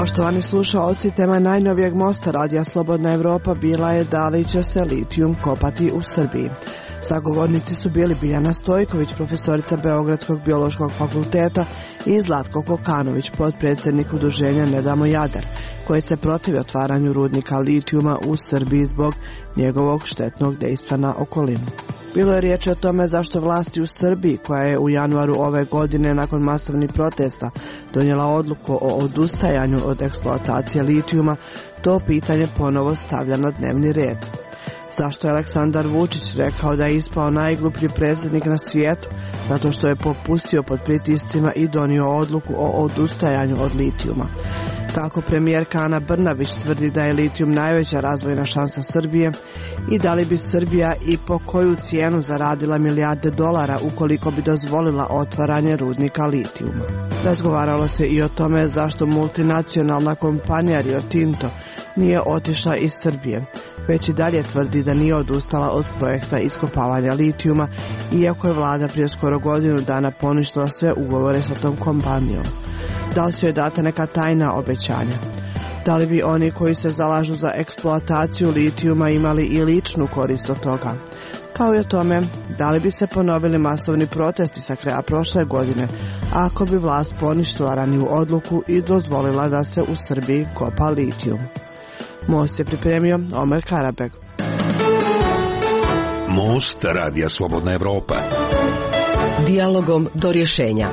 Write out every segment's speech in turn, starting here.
Poštovani slušaoci, tema najnovijeg mosta Radija Slobodna Evropa bila je da li će se litijum kopati u Srbiji. Sagovornici su bili Biljana Stojković, profesorica Beogradskog biološkog fakulteta, i Zlatko Kokanović, potpredsjednik udruženja Ne damo Jadar, koji se protivi otvaranju rudnika litijuma u Srbiji zbog njegovog štetnog dejstva na okolinu. Bilo je riječ o tome zašto vlasti u Srbiji, koja je u januaru ove godine nakon masovnih protesta donijela odluku o odustajanju od eksploatacije litijuma, to pitanje ponovo stavlja na dnevni red. Zašto je Aleksandar Vučić rekao da je ispao najgluplji predsjednik na svijetu? Zato što je popustio pod pritiscima i donio odluku o odustajanju od litijuma. Kako premijerka Ana Brnabić tvrdi da je litijum najveća razvojna šansa Srbije i da li bi Srbija i po koju cijenu zaradila milijarde dolara ukoliko bi dozvolila otvaranje rudnika litijuma. Razgovaralo se i o tome zašto multinacionalna kompanija Rio Tinto nije otišla iz Srbije, već i dalje tvrdi da nije odustala od projekta iskopavanja litijuma, iako je vlada prije skoro godinu dana poništila sve ugovore sa tom kompanijom. Da li su joj data neka tajna obećanja? Da li bi oni koji se zalažu za eksploataciju litijuma imali i ličnu korist od toga? Kao i o tome, da li bi se ponovili masovni protesti sa kraja prošle godine ako bi vlast poništila raniju odluku i dozvolila da se u Srbiji kopa litijum? Most je pripremio Omer Karabeg. Most Radija Slobodna Evropa. Dijalogom do rješenja.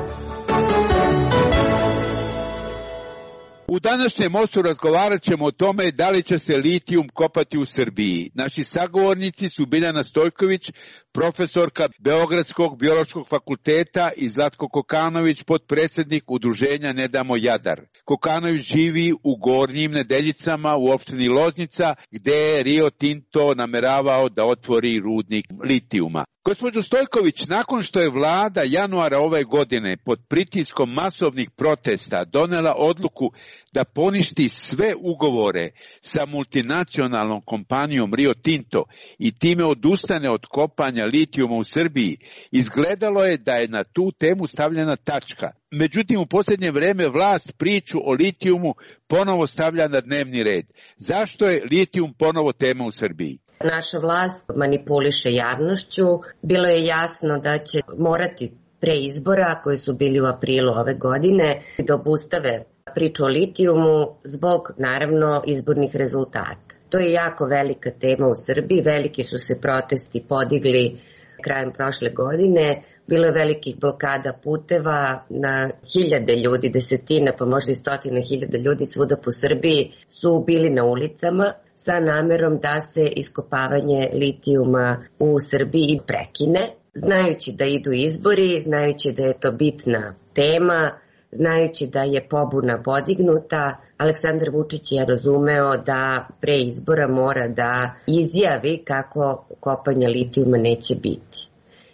U današnjem mostu razgovarat ćemo o tome da li će se litijum kopati u Srbiji. Naši sagovornici su Biljana Stojković, profesorka Beogradskog biološkog fakulteta, i Zlatko Kokanović, potpredsjednik udruženja Ne damo Jadar. Kokanović živi u Gornjim Nedeljicama u opštini Loznica, gde je Rio Tinto nameravao da otvori rudnik litijuma. Gospođo Stojković, nakon što je vlada januara ove godine pod pritiskom masovnih protesta donela odluku da poništi sve ugovore sa multinacionalnom kompanijom Rio Tinto i time odustane od kopanja litijuma u Srbiji, izgledalo je da je na tu temu stavljena tačka. Međutim, u posljednje vrijeme vlast priču o litijumu ponovo stavlja na dnevni red. Zašto je litijum ponovo tema u Srbiji? Naša vlast manipuliše javnošću. Bilo je jasno da će morati pre izbora, koji su bili u aprilu ove godine, da obustave priču o litijumu zbog, naravno, izbornih rezultata. To je jako velika tema u Srbiji. Veliki su se protesti podigli krajem prošle godine. Bilo je velikih blokada puteva, na hiljade ljudi, desetina, pa možda i stotine hiljada ljudi svuda po Srbiji su bili na ulicama sa namerom da se iskopavanje litijuma u Srbiji prekine, znajući da idu izbori, znajući da je to bitna tema, znajući da je pobuna podignuta. Aleksandar Vučić je razumeo da pre izbora mora da izjavi kako kopanja litijuma neće biti.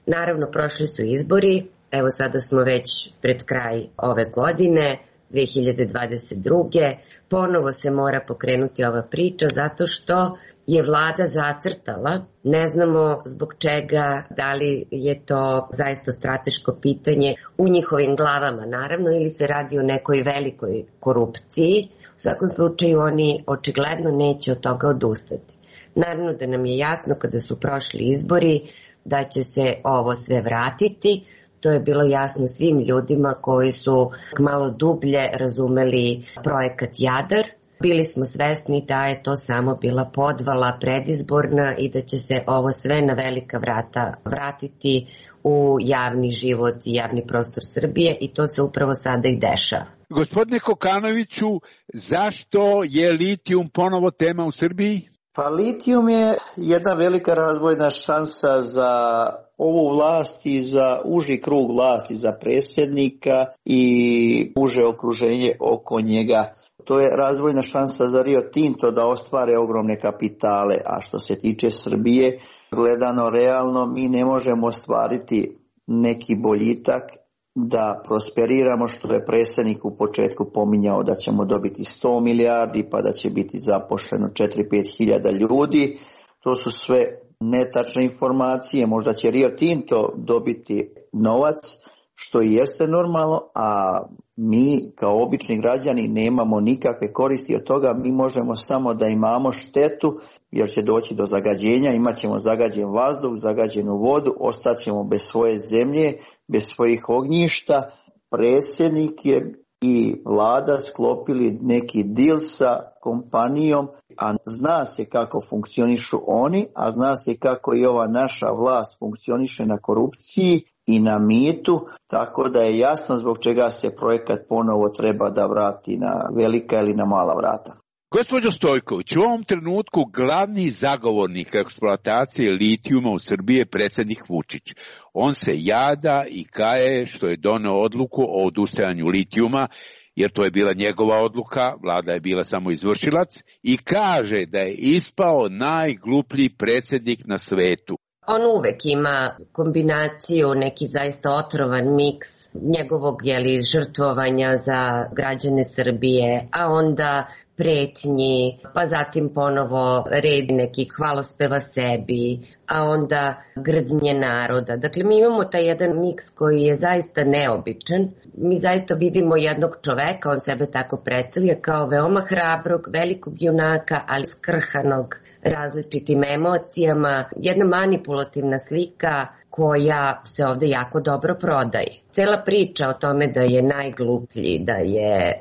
Naravno, prošli su izbori, evo sada smo već pred kraj ove godine, 2022. Ponovo se mora pokrenuti ova priča zato što je vlada zacrtala, ne znamo zbog čega, da li je to zaista strateško pitanje u njihovim glavama naravno ili se radi o nekoj velikoj korupciji. U svakom slučaju oni očigledno neće od toga odustati. Naravno da nam je jasno kada su prošli izbori da će se ovo sve vratiti. To je bilo jasno svim ljudima koji su malo dublje razumeli projekat Jadar. Bili smo svesni da je to samo bila podvala predizborna i da će se ovo sve na velika vrata vratiti u javni život i javni prostor Srbije i to se upravo sada i dešava. Gospodine Kokanoviću, zašto je litijum ponovo tema u Srbiji? Pa litijum je jedna velika razvojna šansa za ovu vlast i za uži krug vlasti, za predsjednika i uže okruženje oko njega. To je razvojna šansa za Rio Tinto da ostvare ogromne kapitale, a što se tiče Srbije, gledano realno, mi ne možemo ostvariti neki boljitak da prosperiramo, što je predsjednik u početku pominjao da ćemo dobiti 100 milijardi pa da će biti zaposleno 4-5 hiljada ljudi. To su sve netačne informacije. Možda će Rio Tinto dobiti novac, što i jeste normalno, a mi kao obični građani nemamo nikakve koristi od toga, mi možemo samo da imamo štetu jer će doći do zagađenja, imat ćemo zagađen vazduh, zagađenu vodu, ostaćemo bez svoje zemlje, bez svojih ognjišta. Predsjednik je i vlada sklopili neki deal sa kompanijom, a zna se kako funkcionišu oni, a zna se kako i ova naša vlast funkcioniše na korupciji i na mitu, tako da je jasno zbog čega se projekat ponovo treba da vrati na velika ili na mala vrata. Gospođo Stojković, u ovom trenutku glavni zagovornik eksploatacije litijuma u Srbiji je predsjednik Vučić. On se jada i kaje što je doneo odluku o odustajanju litijuma, jer to je bila njegova odluka, vlada je bila samo izvršilac, i kaže da je ispao najgluplji predsjednik na svetu. On uvek ima kombinaciju, neki zaista otrovan miks njegovog žrtvovanja za građane Srbije, a onda pretnji, pa zatim ponovo red nekih hvalospeva sebi, a onda grdnje naroda. Dakle, mi imamo taj jedan miks koji je zaista neobičan. Mi zaista vidimo jednog čoveka, on sebe tako predstavlja kao veoma hrabrog, velikog junaka, ali skrhanog različitim emocijama. Jedna manipulativna slika koja se ovde jako dobro prodaje. Cela priča o tome da je najgluplji, da je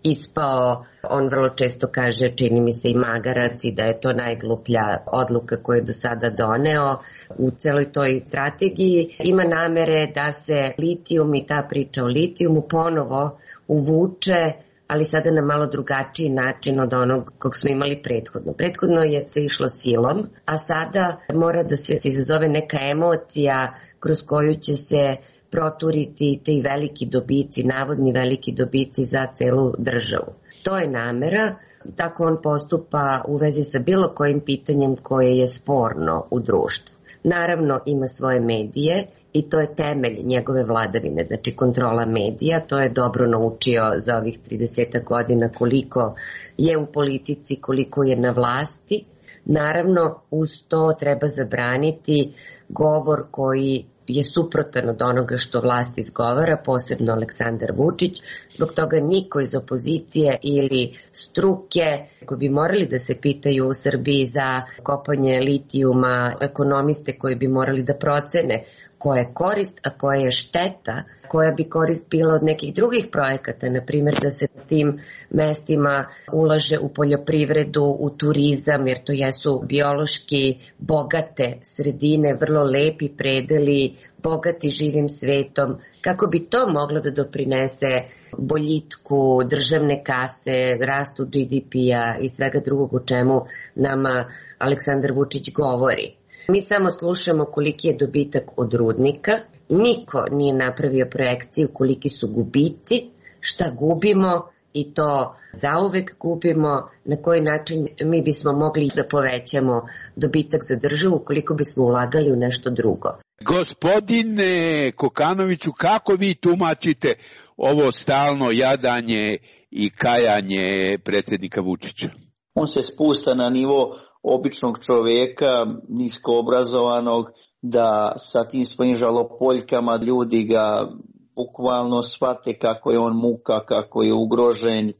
ispao, on vrlo često kaže, čini mi se i magarac, i da je to najgluplja odluka koju je do sada doneo. U celoj toj strategiji ima namere da se litijum i ta priča o litijumu ponovo uvuče, ali sada na malo drugačiji način od onog kog smo imali prethodno. Prethodno je se išlo silom, a sada mora da se izazove neka emocija kroz koju će se proturiti ti veliki dobici, navodni veliki dobici za celu državu. To je namera, tako on postupa u vezi sa bilo kojim pitanjem koje je sporno u društvu. Naravno ima svoje medije i to je temelj njegove vladavine, znači kontrola medija, to je dobro naučio za ovih 30 godina koliko je u politici, koliko je na vlasti. Naravno uz to treba zabraniti govor koji je suprotan od onoga što vlast izgovara, posebno Aleksandar Vučić. Zbog toga niko iz opozicije ili struke koji bi morali da se pitaju u Srbiji za kopanje litijuma, ekonomiste koji bi morali da procene koja je korist, a koja je šteta, koja bi korist bila od nekih drugih projekata, na primjer da se na tim mestima ulaže u poljoprivredu, u turizam, jer to jesu biološki bogate sredine, vrlo lepi predeli, bogati živim svetom, kako bi to moglo da doprinese boljitku državne kase, rastu GDP-a i svega drugog o čemu nama Aleksandar Vučić govori. Mi samo slušamo koliki je dobitak od rudnika, niko nije napravio projekciju koliki su gubici, šta gubimo i to zauvek gubimo, na koji način mi bismo mogli da povećamo dobitak za državu koliko bismo ulagali u nešto drugo. Gospodine Kokanoviću, kako vi tumačite ovo stalno jadanje i kajanje predsjednika Vučića? On se spušta na nivo običnog čovjeka, nisko obrazovanog, da sa tim svojim žalopoljkama ljudi ga bukvalno shvate kako je on muka, kako je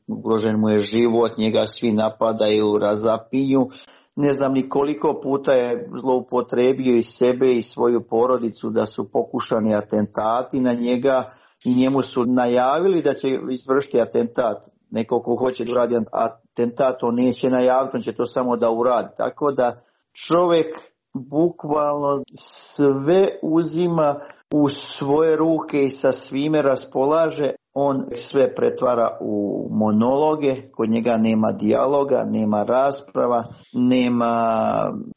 ugrožen mu je život, njega svi napadaju, razapinju. Ne znam ni koliko puta je zloupotrebio i sebe i svoju porodicu da su pokušani atentati na njega i njemu su najavili da će izvršiti atentat. Neko ko hoće da uradi atentat, on neće najaviti, on će to samo da uradi. Tako da čovjek bukvalno sve uzima u svoje ruke i sa svime raspolaže. On sve pretvara u monologe, kod njega nema dijaloga, nema rasprava, nema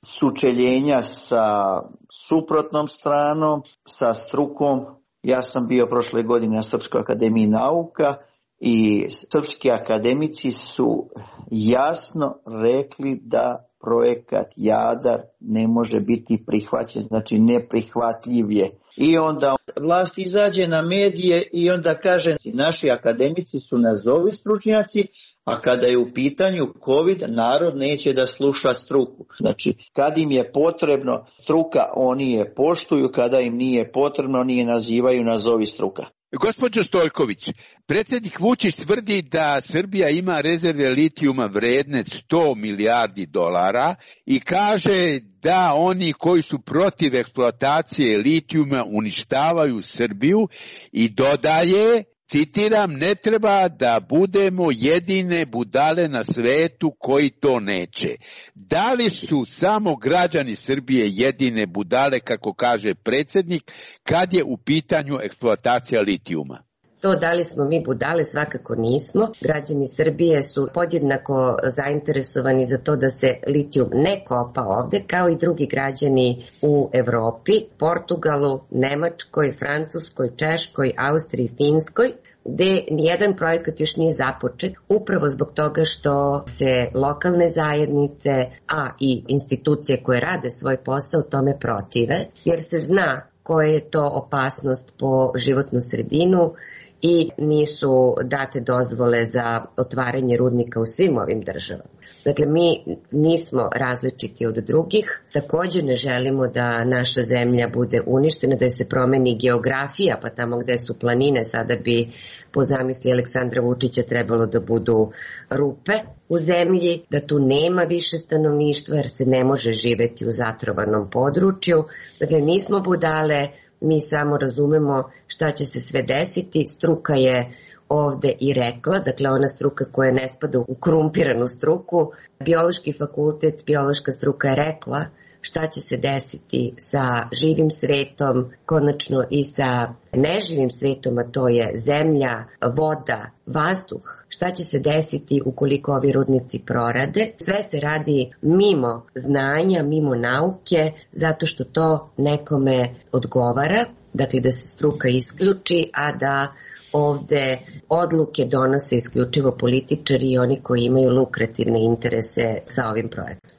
sučeljenja sa suprotnom stranom, sa strukom. Ja sam bio prošle godine na Srpskoj akademiji nauka i srpski akademici su jasno rekli da projekat Jadar ne može biti prihvaćen, znači neprihvatljiv je. I onda vlast izađe na medije i onda kaže naši akademici su nazovi stručnjaci, a kada je u pitanju COVID, narod neće da sluša struku. Znači, kad im je potrebno struka, oni je poštuju, kada im nije potrebno, oni je nazivaju nazovi struka. Gospođo Stojković, predsjednik Vučić tvrdi da Srbija ima rezerve litijuma vredne 100 milijardi dolara i kaže da oni koji su protiv eksploatacije litijuma uništavaju Srbiju i dodaje, citiram, ne treba da budemo jedine budale na svetu koji to neće. Da li su samo građani Srbije jedine budale, kako kaže predsjednik, kad je u pitanju eksploatacija litijuma? To da li smo mi budale, svakako nismo. Građani Srbije su podjednako zainteresovani za to da se litijum ne kopa ovde, kao i drugi građani u Evropi, Portugalu, Nemačkoj, Francuskoj, Češkoj, Austriji, Finskoj, gde nijedan projekat još nije započet, upravo zbog toga što se lokalne zajednice, a i institucije koje rade svoj posao tome protive, jer se zna koja je to opasnost po životnu sredinu i nisu date dozvole za otvaranje rudnika u svim ovim državama. Dakle, mi nismo različiti od drugih, također ne želimo da naša zemlja bude uništena, da se promeni geografija, pa tamo gde su planine sada bi po zamisli Aleksandra Vučića trebalo da budu rupe u zemlji, da tu nema više stanovništva jer se ne može živeti u zatrovanom području. Dakle, nismo budale, mi samo razumemo šta će se sve desiti. Struka je ovde i rekla, dakle ona struka koja ne spada u korumpiranu struku, biološki fakultet, biološka struka je rekla šta će se desiti sa živim svetom, konačno i sa neživim svetom, a to je zemlja, voda, vazduh. Šta će se desiti ukoliko ovi rudnici prorade? Sve se radi mimo znanja, mimo nauke, zato što to nekome odgovara, dakle da se struka isključi, a da ovde odluke donose isključivo političari i oni koji imaju lukrativne interese sa ovim projektom.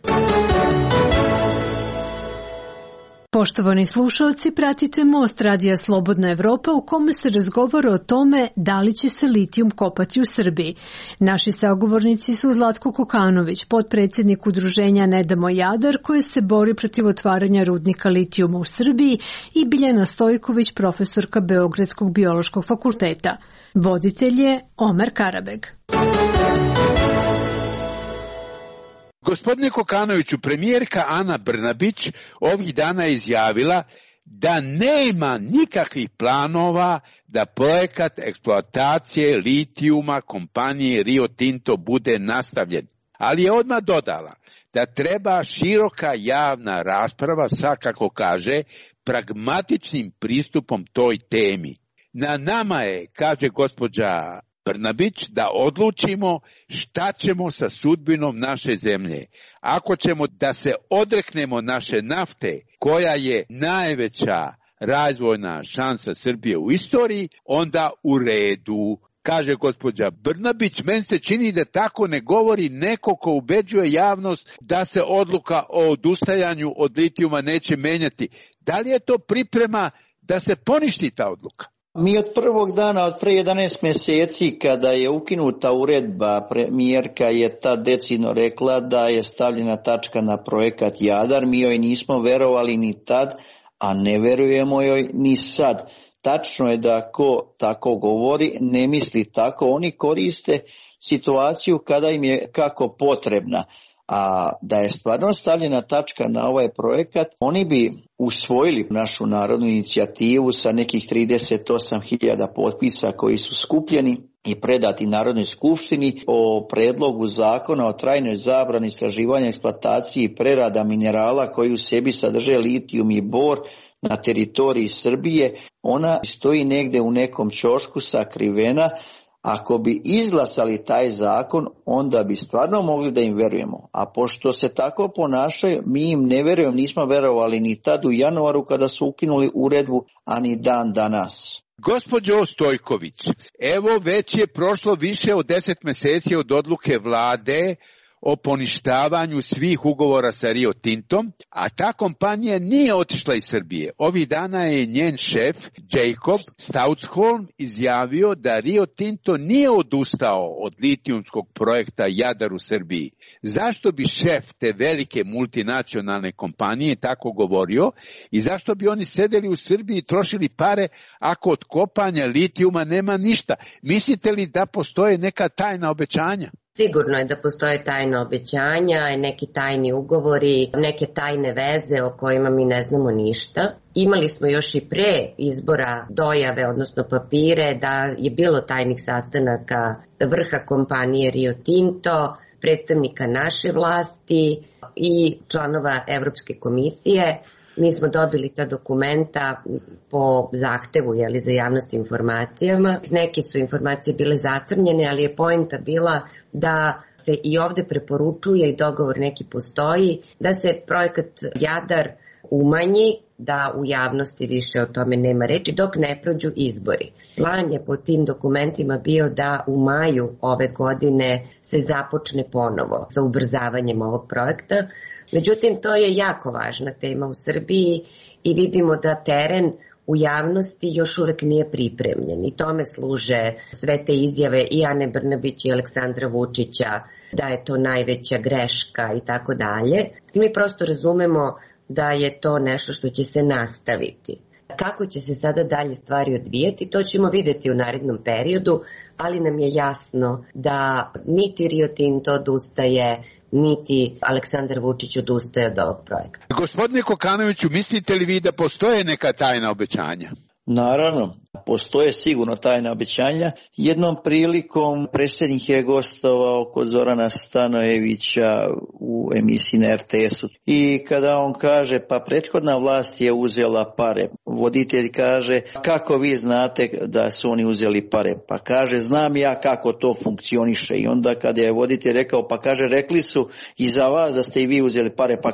Poštovani slušalci, pratite Most Radija Slobodna Evropa u kome se razgovara o tome da li će se litijum kopati u Srbiji. Naši sagovornici su Zlatko Kokanović, potpredsjednik udruženja Ne damo Jadar, koje se bori protiv otvaranja rudnika litijuma u Srbiji, i Biljana Stojković, profesorka Beogradskog biološkog fakulteta. Voditelj je Omer Karabeg. Gospodine Kokanoviću, premijerka Ana Brnabić ovih dana je izjavila da nema nikakvih planova da projekat eksploatacije litijuma kompanije Rio Tinto bude nastavljen. Ali je odmah dodala da treba široka javna rasprava sa, kako kaže, pragmatičnim pristupom toj temi. Na nama je, kaže gospođa Brnabić, da odlučimo šta ćemo sa sudbinom naše zemlje. Ako ćemo da se odreknemo naše nafte, koja je najveća razvojna šansa Srbije u istoriji, onda u redu. Kaže gospođa Brnabić, meni se čini da tako ne govori neko ko ubeđuje javnost da se odluka o odustajanju od litijuma neće menjati. Da li je to priprema da se poništi ta odluka? Mi od prvog dana, od pre 11 mjeseci, kada je ukinuta uredba, premijerka je tad decidno rekla da je stavljena tačka na projekat Jadar. Mi joj nismo verovali ni tad, a ne verujemo joj ni sad. Tačno je da ko tako govori ne misli tako. Oni koriste situaciju kada im je kako potrebna. A da je stvarno stavljena tačka na ovaj projekat, oni bi usvojili našu narodnu inicijativu sa nekih 38.000 potpisa koji su skupljeni i predati Narodnoj skupštini o predlogu zakona o trajnoj zabrani istraživanja, eksploataciji i prerada minerala koji u sebi sadrže litijum i bor na teritoriji Srbije. Ona stoji negde u nekom ćošku sakrivena. Ako bi izglasali taj zakon, onda bi stvarno mogli da im verujemo. A pošto se tako ponašaju, mi im ne verujemo, nismo verovali ni tad u januaru kada su ukinuli uredbu, a ni dan danas. Gospođo Stojković, evo već je prošlo više od 10 mjeseci od odluke vlade o poništavanju svih ugovora sa Rio Tintom, a ta kompanija nije otišla iz Srbije. Ovih dana je njen šef, Jacob Stoutsholm, izjavio da Rio Tinto nije odustao od litijumskog projekta Jadar u Srbiji. Zašto bi šef te velike multinacionalne kompanije tako govorio i zašto bi oni sedeli u Srbiji i trošili pare ako od kopanja litijuma nema ništa? Mislite li da postoje neka tajna obećanja? Sigurno je da postoje tajna obećanja, neki tajni ugovori, neke tajne veze o kojima mi ne znamo ništa. Imali smo još i pre izbora dojave, odnosno papire, da je bilo tajnih sastanaka vrha kompanije Rio Tinto, predstavnika naše vlasti i članova Evropske komisije. Mi smo dobili ta dokumenta po zahtevu za javnost informacijama. Neke su informacije bile zacrnjene, ali je poenta bila da se i ovde preporučuje i dogovor neki postoji, da se projekat Jadar umanji, da u javnosti više o tome nema reči dok ne prođu izbori. Plan je po tim dokumentima bio da u maju ove godine se započne ponovo sa ubrzavanjem ovog projekta. Međutim, to je jako važna tema u Srbiji i vidimo da teren u javnosti još uvek nije pripremljen i tome služe sve te izjave i Ane Brnabić i Aleksandra Vučića da je to najveća greška i tako dalje. Mi prosto razumemo da je to nešto što će se nastaviti. Kako će se sada dalje stvari odvijeti, to ćemo videti u narednom periodu, ali nam je jasno da niti Rio Tinto odustaje, niti Aleksandar Vučić odustaje od ovog projekta. Gospodine Kokanoviću, mislite li vi da postoje neka tajna obećanja? Naravno, postoje sigurno tajna obećanja. Jednom prilikom predsjednik je gostovao kod Zorana Stanojevića u emisiji na RTS-u i kada on kaže pa prethodna vlast je uzela pare, voditelj kaže kako vi znate da su oni uzeli pare, pa kaže znam ja kako to funkcioniše i onda kada je voditelj rekao pa kaže rekli su i za vas da ste i vi uzeli pare, pa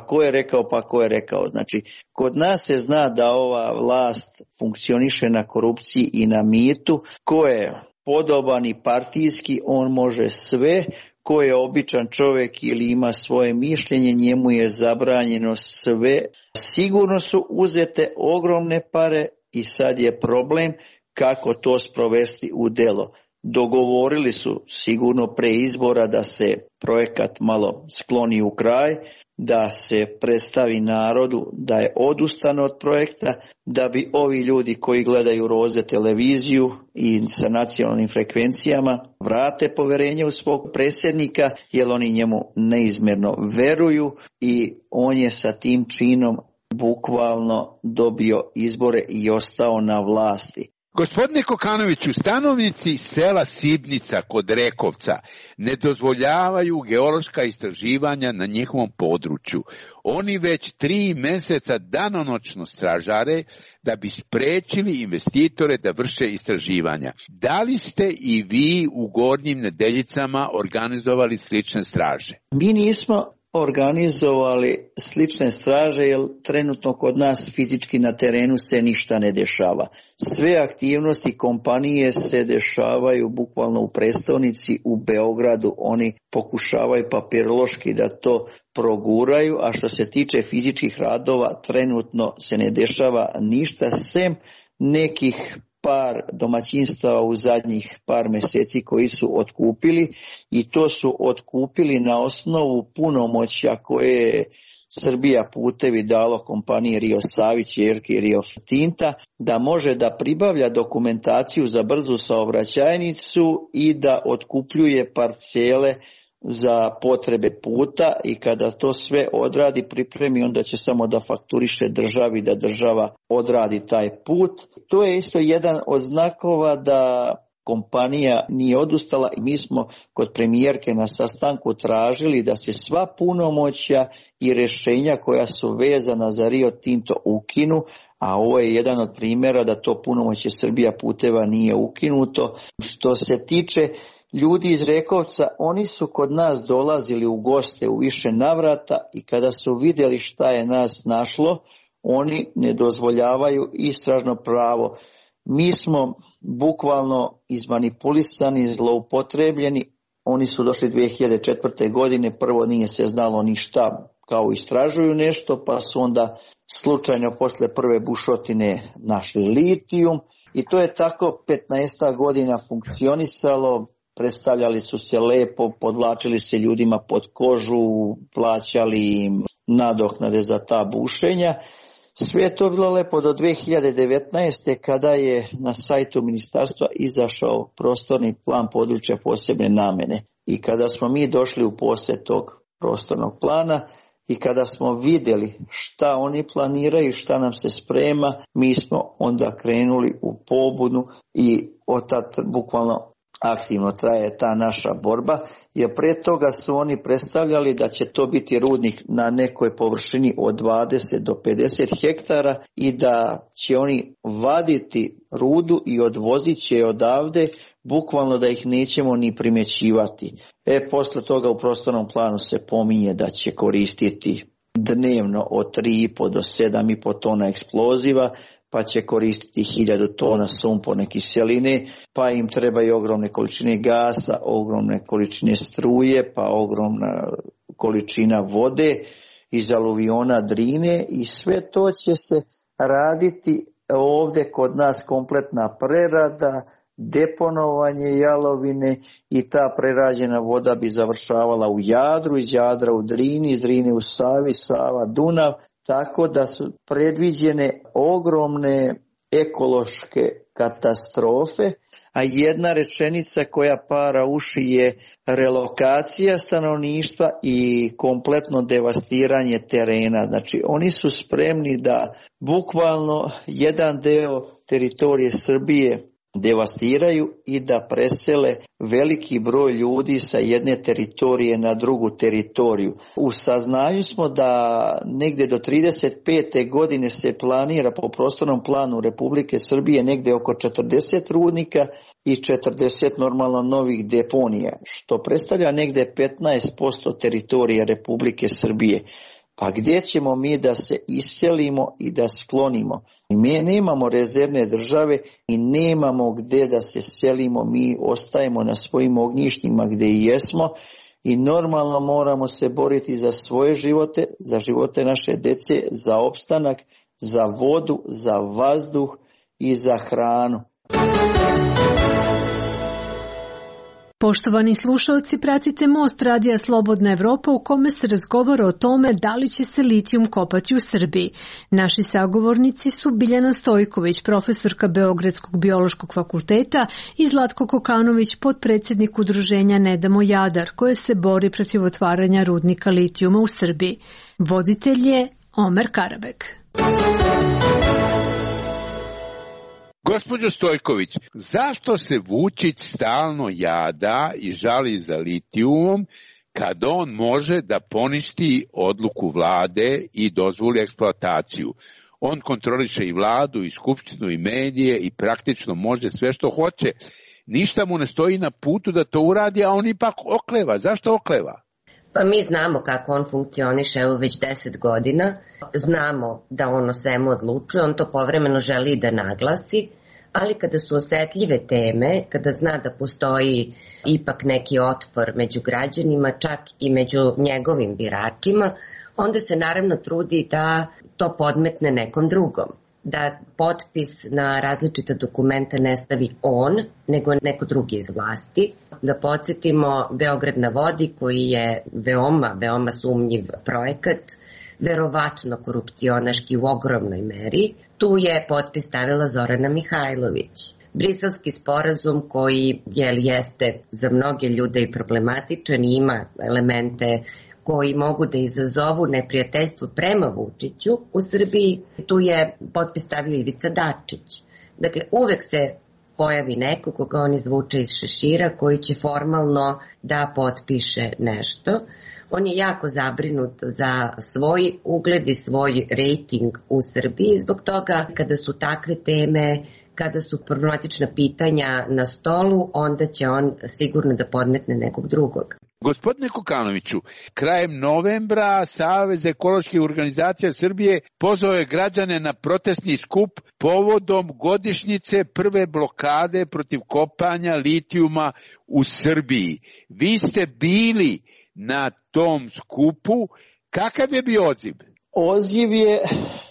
ko je rekao, znači kod nas se zna da ova vlast funkcioniše na korupciji i na mitu, ko je podoban i partijski, on može sve, ko je običan čovjek ili ima svoje mišljenje, njemu je zabranjeno sve. Sigurno su uzete ogromne pare i sad je problem kako to sprovesti u delo. Dogovorili su sigurno pre izbora da se projekat malo skloni u kraj, da se predstavi narodu da je odustano od projekta, da bi ovi ljudi koji gledaju Roze televiziju i sa nacionalnim frekvencijama vrate poverenje u svog predsjednika, jer oni njemu neizmjerno veruju i on je sa tim činom bukvalno dobio izbore i ostao na vlasti. Gospodine Kokanoviću, stanovnici sela Sibnica kod Rekovca ne dozvoljavaju geološka istraživanja na njihovom području. Oni već 3 mjeseca danonoćno stražare da bi sprečili investitore da vrše istraživanja. Da li ste i vi u Gornjim Nedeljicama organizovali slične straže? Mi nismo organizovali slične straže jer trenutno kod nas fizički na terenu se ništa ne dešava. Sve aktivnosti kompanije se dešavaju bukvalno u prestonici, u Beogradu. Oni pokušavaju papirološki da to proguraju, a što se tiče fizičkih radova trenutno se ne dešava ništa sem nekih par domaćinstava u zadnjih par mjeseci koji su otkupili i to su otkupili na osnovu punomoćja koje je Srbija putevi dalo kompaniji Rio Savi, ćerki Rio Tinta, da može da pribavlja dokumentaciju za brzu saobraćajnicu i da otkupljuje parcele za potrebe puta i kada to sve odradi, pripremi, onda će samo da fakturiše državi da država odradi taj put. To je isto jedan od znakova da kompanija nije odustala i mi smo kod premijerke na sastanku tražili da se sva punomoćja i rješenja koja su vezana za Rio Tinto ukinu, a ovo je jedan od primjera da to punomoćje Srbija puteva nije ukinuto. Što se tiče ljudi iz Rekovca, oni su kod nas dolazili u goste u više navrata i kada su vidjeli šta je nas našlo, oni ne dozvoljavaju istražno pravo. Mi smo bukvalno izmanipulisani, zloupotrebljeni, Oni su došli 2004. godine, prvo nije se znalo ništa, kao istražuju nešto, pa su onda slučajno posle prve bušotine našli litijum i to je tako 15 godina funkcionisalo. Predstavljali su se lepo, podvlačili se ljudima pod kožu, plaćali im nadoknade za ta bušenja. Sve je to bilo lepo do 2019. kada je na sajtu ministarstva izašao prostorni plan područja posebne namene. I kada smo mi došli u posjed tog prostornog plana i kada smo vidjeli šta oni planiraju, šta nam se sprema, mi smo onda krenuli u pobunu i od tada bukvalno aktivno traje ta naša borba, jer pre toga su oni predstavljali da će to biti rudnik na nekoj površini od 20 do 50 hektara i da će oni vaditi rudu i odvozit će odavde, bukvalno da ih nećemo ni primjećivati. Posle toga u prostornom planu se pominje da će koristiti dnevno od 3,5 do 7,5 tona eksploziva, pa će koristiti 1000 tona sumporne kiseline, pa im trebaju ogromne količine gasa, ogromne količine struje, pa ogromna količina vode iz aluviona Drine i sve to će se raditi ovdje kod nas, kompletna prerada, deponovanje jalovine i ta prerađena voda bi završavala u Jadru, iz Jadra u Drini, iz Drine u Savi, Sava, Dunav, tako da su predviđene ogromne ekološke katastrofe, a jedna rečenica koja para uši je relokacija stanovništva i kompletno devastiranje terena. Znači oni su spremni da bukvalno jedan deo teritorije Srbije devastiraju i da presele veliki broj ljudi sa jedne teritorije na drugu teritoriju. U saznanju smo da negdje do 35. godine se planira po prostornom planu Republike Srbije negdje oko 40 rudnika i 40 normalno novih deponija, što predstavlja negdje 15% teritorije Republike Srbije. Pa gdje ćemo mi da se iselimo i da sklonimo? Mi nemamo rezervne države i nemamo gdje da se selimo, mi ostajemo na svojim ognjištima gdje i jesmo i normalno moramo se boriti za svoje živote, za živote naše dece, za opstanak, za vodu, za vazduh i za hranu. Poštovani slušalci, pratite Most radija Slobodna Evropa u kome se razgovara o tome da li će se litijum kopati u Srbiji. Naši sagovornici su Biljana Stojković, profesorka Beogradskog biološkog fakulteta i Zlatko Kokanović, potpredsjednik udruženja Ne damo Jadar, koje se bori protiv otvaranja rudnika litijuma u Srbiji. Voditelj je Omer Karabek. Gospođo Stojković, zašto se Vučić stalno jada i žali za litijumom kad on može da poništi odluku vlade i dozvoli eksploataciju? On kontroliše i vladu, i skupštinu, i medije i praktično može sve što hoće. Ništa mu ne stoji na putu da to uradi, a on ipak okleva. Zašto okleva? Pa mi znamo kako on funkcioniše, evo već 10 godina, znamo da on o svemu odlučuje, on to povremeno želi da naglasi, ali kada su osetljive teme, kada zna da postoji ipak neki otpor među građanima, čak i među njegovim biračima, onda se naravno trudi da to podmetne nekom drugom. Da potpis na različita dokumenta ne stavi on, nego neko drugi iz vlasti. Da podsjetimo Beograd na vodi, koji je veoma sumnjiv projekat, verovatno korupcionaški u ogromnoj meri. Tu je potpis stavila Zorana Mihajlović. Briselski sporazum koji jeste za mnoge ljude i problematičan i ima elemente koji mogu da izazovu neprijateljstvo prema Vučiću u Srbiji, tu je potpis stavio Ivica Dačić. Dakle, uvek se pojavi neko koga on izvuče iz šešira koji će formalno da potpiše nešto. On je jako zabrinut za svoj ugled i svoj rejting u Srbiji, zbog toga kada su takve teme, kada su problematična pitanja na stolu, onda će on sigurno da podmetne nekog drugog. Gospodine Kokanoviću, krajem novembra Savez ekoloških organizacija Srbije pozvao je građane na protestni skup povodom godišnjice prve blokade protiv kopanja litijuma u Srbiji. Vi ste bili na tom skupu. Kakav je bio odziv? Odziv je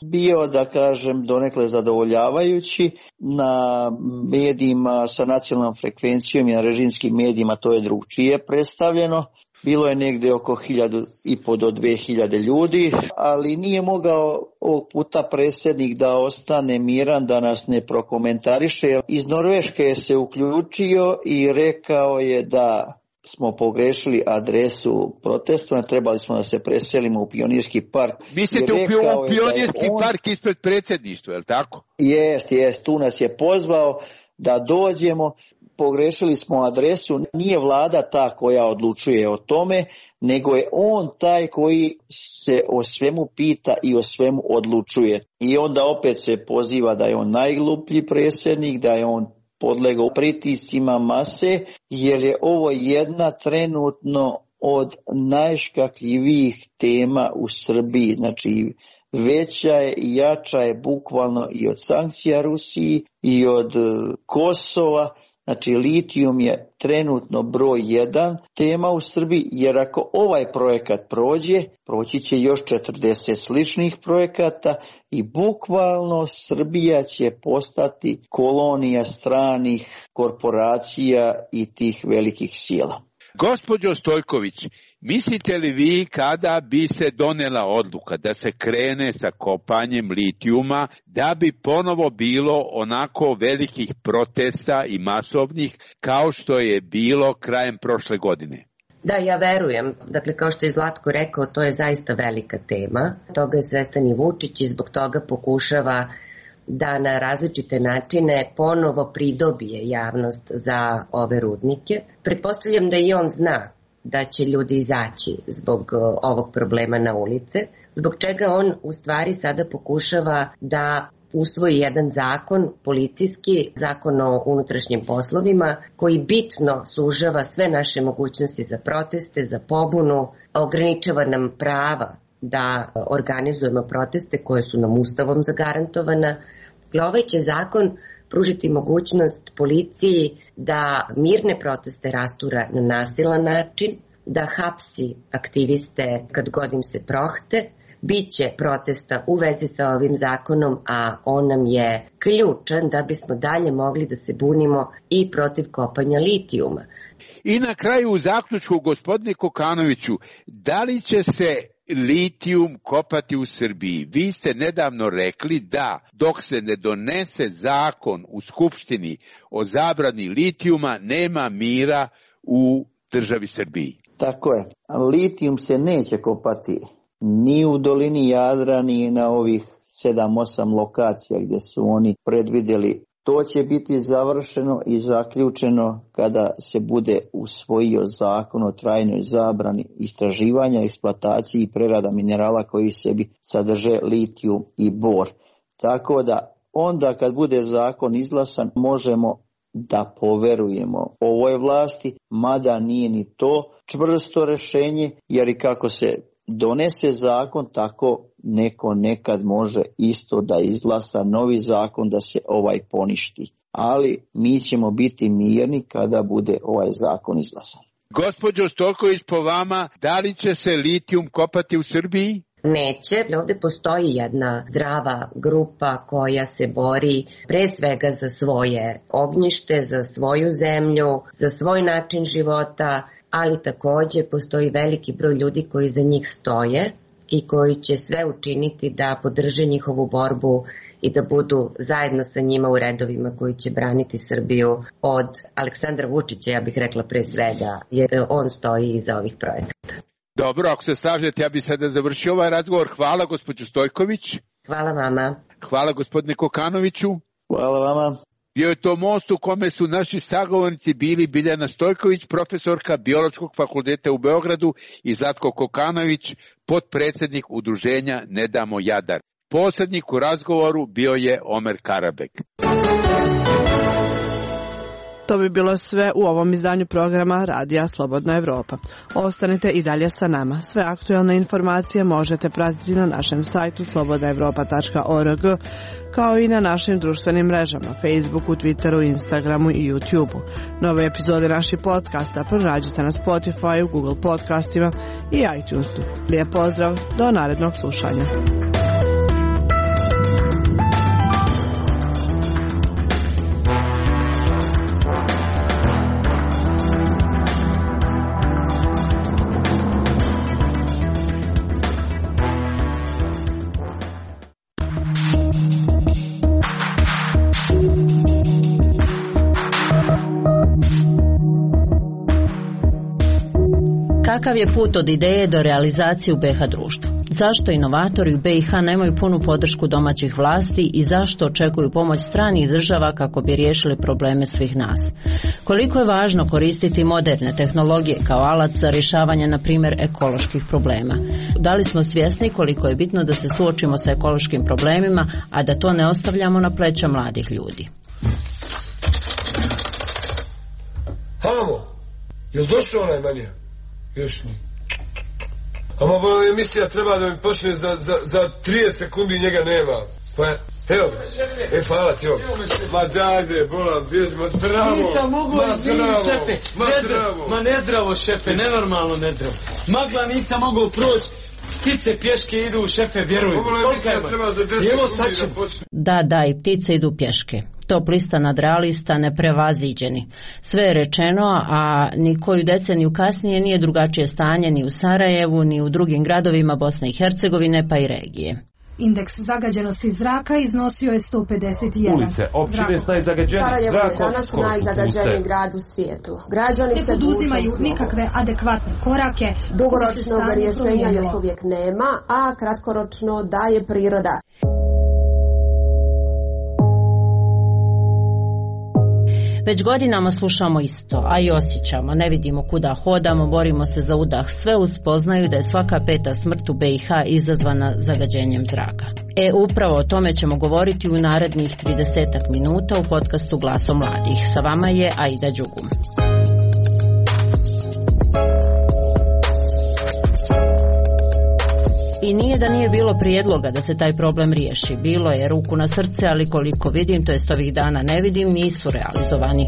bio, da kažem, donekle zadovoljavajući. Na medijima sa nacionalnom frekvencijom i na režimskim medijima to je drugčije predstavljeno. Bilo je negde oko 1.500 do 2.000 ljudi, ali nije mogao ovog puta predsjednik da ostane miran, da nas ne prokomentariše. Iz Norveške je se uključio i rekao je da smo pogrešili adresu protestu, trebali smo da se preselimo u Pionirski park. Mislite u Pionirski park ispred predsjedništva, je li tako? Jest, tu nas je pozvao da dođemo, pogrešili smo adresu, nije vlada ta koja odlučuje o tome, nego je on taj koji se o svemu pita i o svemu odlučuje. I onda opet se poziva da je on najgluplji predsjednik, da je on podlegao pritiscima mase, jer je ovo jedna trenutno od najškakljivijih tema u Srbiji. Znači, veća je i jača je bukvalno i od sankcija Rusiji i od Kosova. Znači, litijum je trenutno broj 1 tema u Srbiji, jer ako ovaj projekat proći će još 40 sličnih projekata i bukvalno Srbija će postati kolonija stranih korporacija i tih velikih sila. Gospođo Stojković, mislite li vi kada bi se donela odluka da se krene sa kopanjem litijuma, da bi ponovo bilo onako velikih protesta i masovnih kao što je bilo krajem prošle godine? Da, ja verujem. Dakle, kao što je Zlatko rekao, to je zaista velika tema. Toga je svestan i Vučić i zbog toga pokušava da na različite načine ponovo pridobije javnost za ove rudnike. Pretpostavljam da i on zna da će ljudi izaći zbog ovog problema na ulice, zbog čega on u stvari sada pokušava da usvoji jedan zakon, policijski zakon o unutrašnjim poslovima, koji bitno sužava sve naše mogućnosti za proteste, za pobunu, ograničava nam prava da organizujemo proteste koje su nam Ustavom zagarantovana. Ovaj će zakon pružiti mogućnost policiji da mirne proteste rastura na nasilan način, da hapsi aktiviste kad god im se prohte. Biće protesta u vezi sa ovim zakonom, a on nam je ključan da bismo dalje mogli da se bunimo i protiv kopanja litijuma. I na kraju u zaključku, gospodine Kokanoviću, da li će se litijum kopati u Srbiji? Vi ste nedavno rekli da dok se ne donese zakon u Skupštini o zabrani litijuma, nema mira u državi Srbiji. Tako je. Litijum se neće kopati ni u dolini Jadra, ni na ovih 7-8 lokacija gdje su oni predvidjeli. To će biti završeno i zaključeno kada se bude usvojio zakon o trajnoj zabrani istraživanja, eksploataciji i prerada minerala koji sebi sadrže litijum i bor. Tako da onda kad bude zakon izglasan možemo da poverujemo ovoj vlasti, mada nije ni to čvrsto rješenje, jer i kako se donese zakon, tako neko nekad može isto da izglasa novi zakon da se ovaj poništi. Ali mi ćemo biti mirni kada bude ovaj zakon izglasan. Gospođo Stojković, po vama, da li će se litijum kopati u Srbiji? Neće. Ovdje postoji jedna zdrava grupa koja se bori pre svega za svoje ognjište, za svoju zemlju, za svoj način života, ali također postoji veliki broj ljudi koji za njih stoje i koji će sve učiniti da podrže njihovu borbu i da budu zajedno sa njima u redovima koji će braniti Srbiju od Aleksandra Vučića, ja bih rekla pre svega, jer on stoji iza ovih projekata. Dobro, ako se slažete, ja bih sada završio ovaj razgovor. Hvala, gospođo Stojković. Hvala vama. Hvala, gospodine Kokanoviću. Hvala vama. Bio je to most u kome su naši sagovornici bili Biljana Stojković, profesorka Biološkog fakulteta u Beogradu, i Zlatko Kokanović, potpredsjednik udruženja Ne damo Jadar. Posrednik u razgovoru bio je Omer Karabek. To bi bilo sve u ovom izdanju programa Radija Slobodna Evropa. Ostanite i dalje sa nama. Sve aktuelne informacije možete pratiti na našem sajtu slobodnaevropa.org, kao i na našim društvenim mrežama, Facebooku, Twitteru, Instagramu i YouTubeu. Nove epizode naših podcasta pronađite na Spotify, Google podcastima i iTunesu. Lijep pozdrav, do narednog slušanja. Kakav je put od ideje do realizacije u BiH društvu? Zašto inovatori u BiH nemaju punu podršku domaćih vlasti i zašto očekuju pomoć stranih država kako bi riješili probleme svih nas? Koliko je važno koristiti moderne tehnologije kao alat za rješavanje, na primjer, ekoloških problema? Da li smo svjesni koliko je bitno da se suočimo sa ekološkim problemima, a da to ne ostavljamo na pleća mladih ljudi? Hamo, jel došao onaj manija? Još nije. A moja emisija treba da mi počne za 30 sekundi, njega nema. Pa evo, hvala ti ovo. Ma dajde, bolam, bježimo, zdravo. Nisam mogu izviniti, šefe. Ma nezdravo, šefe, nenormalno nezdravo. Magla nisam mogao proći. Ptice pješke idu, šefe, vjerujem. Da, i ptice idu pješke. Top lista nadrealista neprevaziđeni. Sve je rečeno, a ni koju deceniju kasnije nije drugačije stanje ni u Sarajevu, ni u drugim gradovima Bosne i Hercegovine, pa i regije. Indeks zagađenosti zraka iznosio je 151. Ulice, općine s najzagađenim Sarajevo je danas najzagađeniji grad u svijetu. Građani se poduzimaju nikakve adekvatne korake. Dugoročnog rješenja još uvijek nema, a kratkoročno daje priroda. Već godinama slušamo isto, a i osjećamo, ne vidimo kuda hodamo, borimo se za udah, sve uz spoznaju da je svaka peta smrt u BiH izazvana zagađenjem zraka. Upravo o tome ćemo govoriti u narednih 30 minuta u podcastu Glaso mladih. Sa vama je Aida Đugum. I nije da nije bilo prijedloga da se taj problem riješi. Bilo je, ruku na srce, ali koliko vidim, to jest ovih dana ne vidim, nisu realizovani.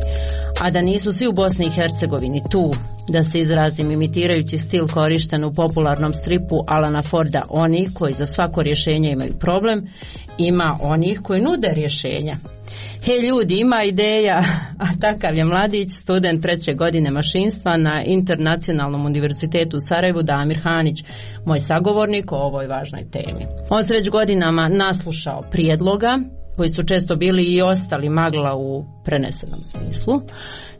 A da nisu svi u Bosni i Hercegovini tu, da se izrazim imitirajući stil korišten u popularnom stripu Alana Forda, oni koji za svako rješenje imaju problem, ima onih koji nude rješenja. Hej ljudi, ima ideja, a takav je mladić, student 3. godine mašinstva na Internacionalnom univerzitetu u Sarajevu, Damir Hanić, moj sagovornik o ovoj važnoj temi. On se već godinama naslušao prijedloga, koji su često bili i ostali magla u prenesenom smislu,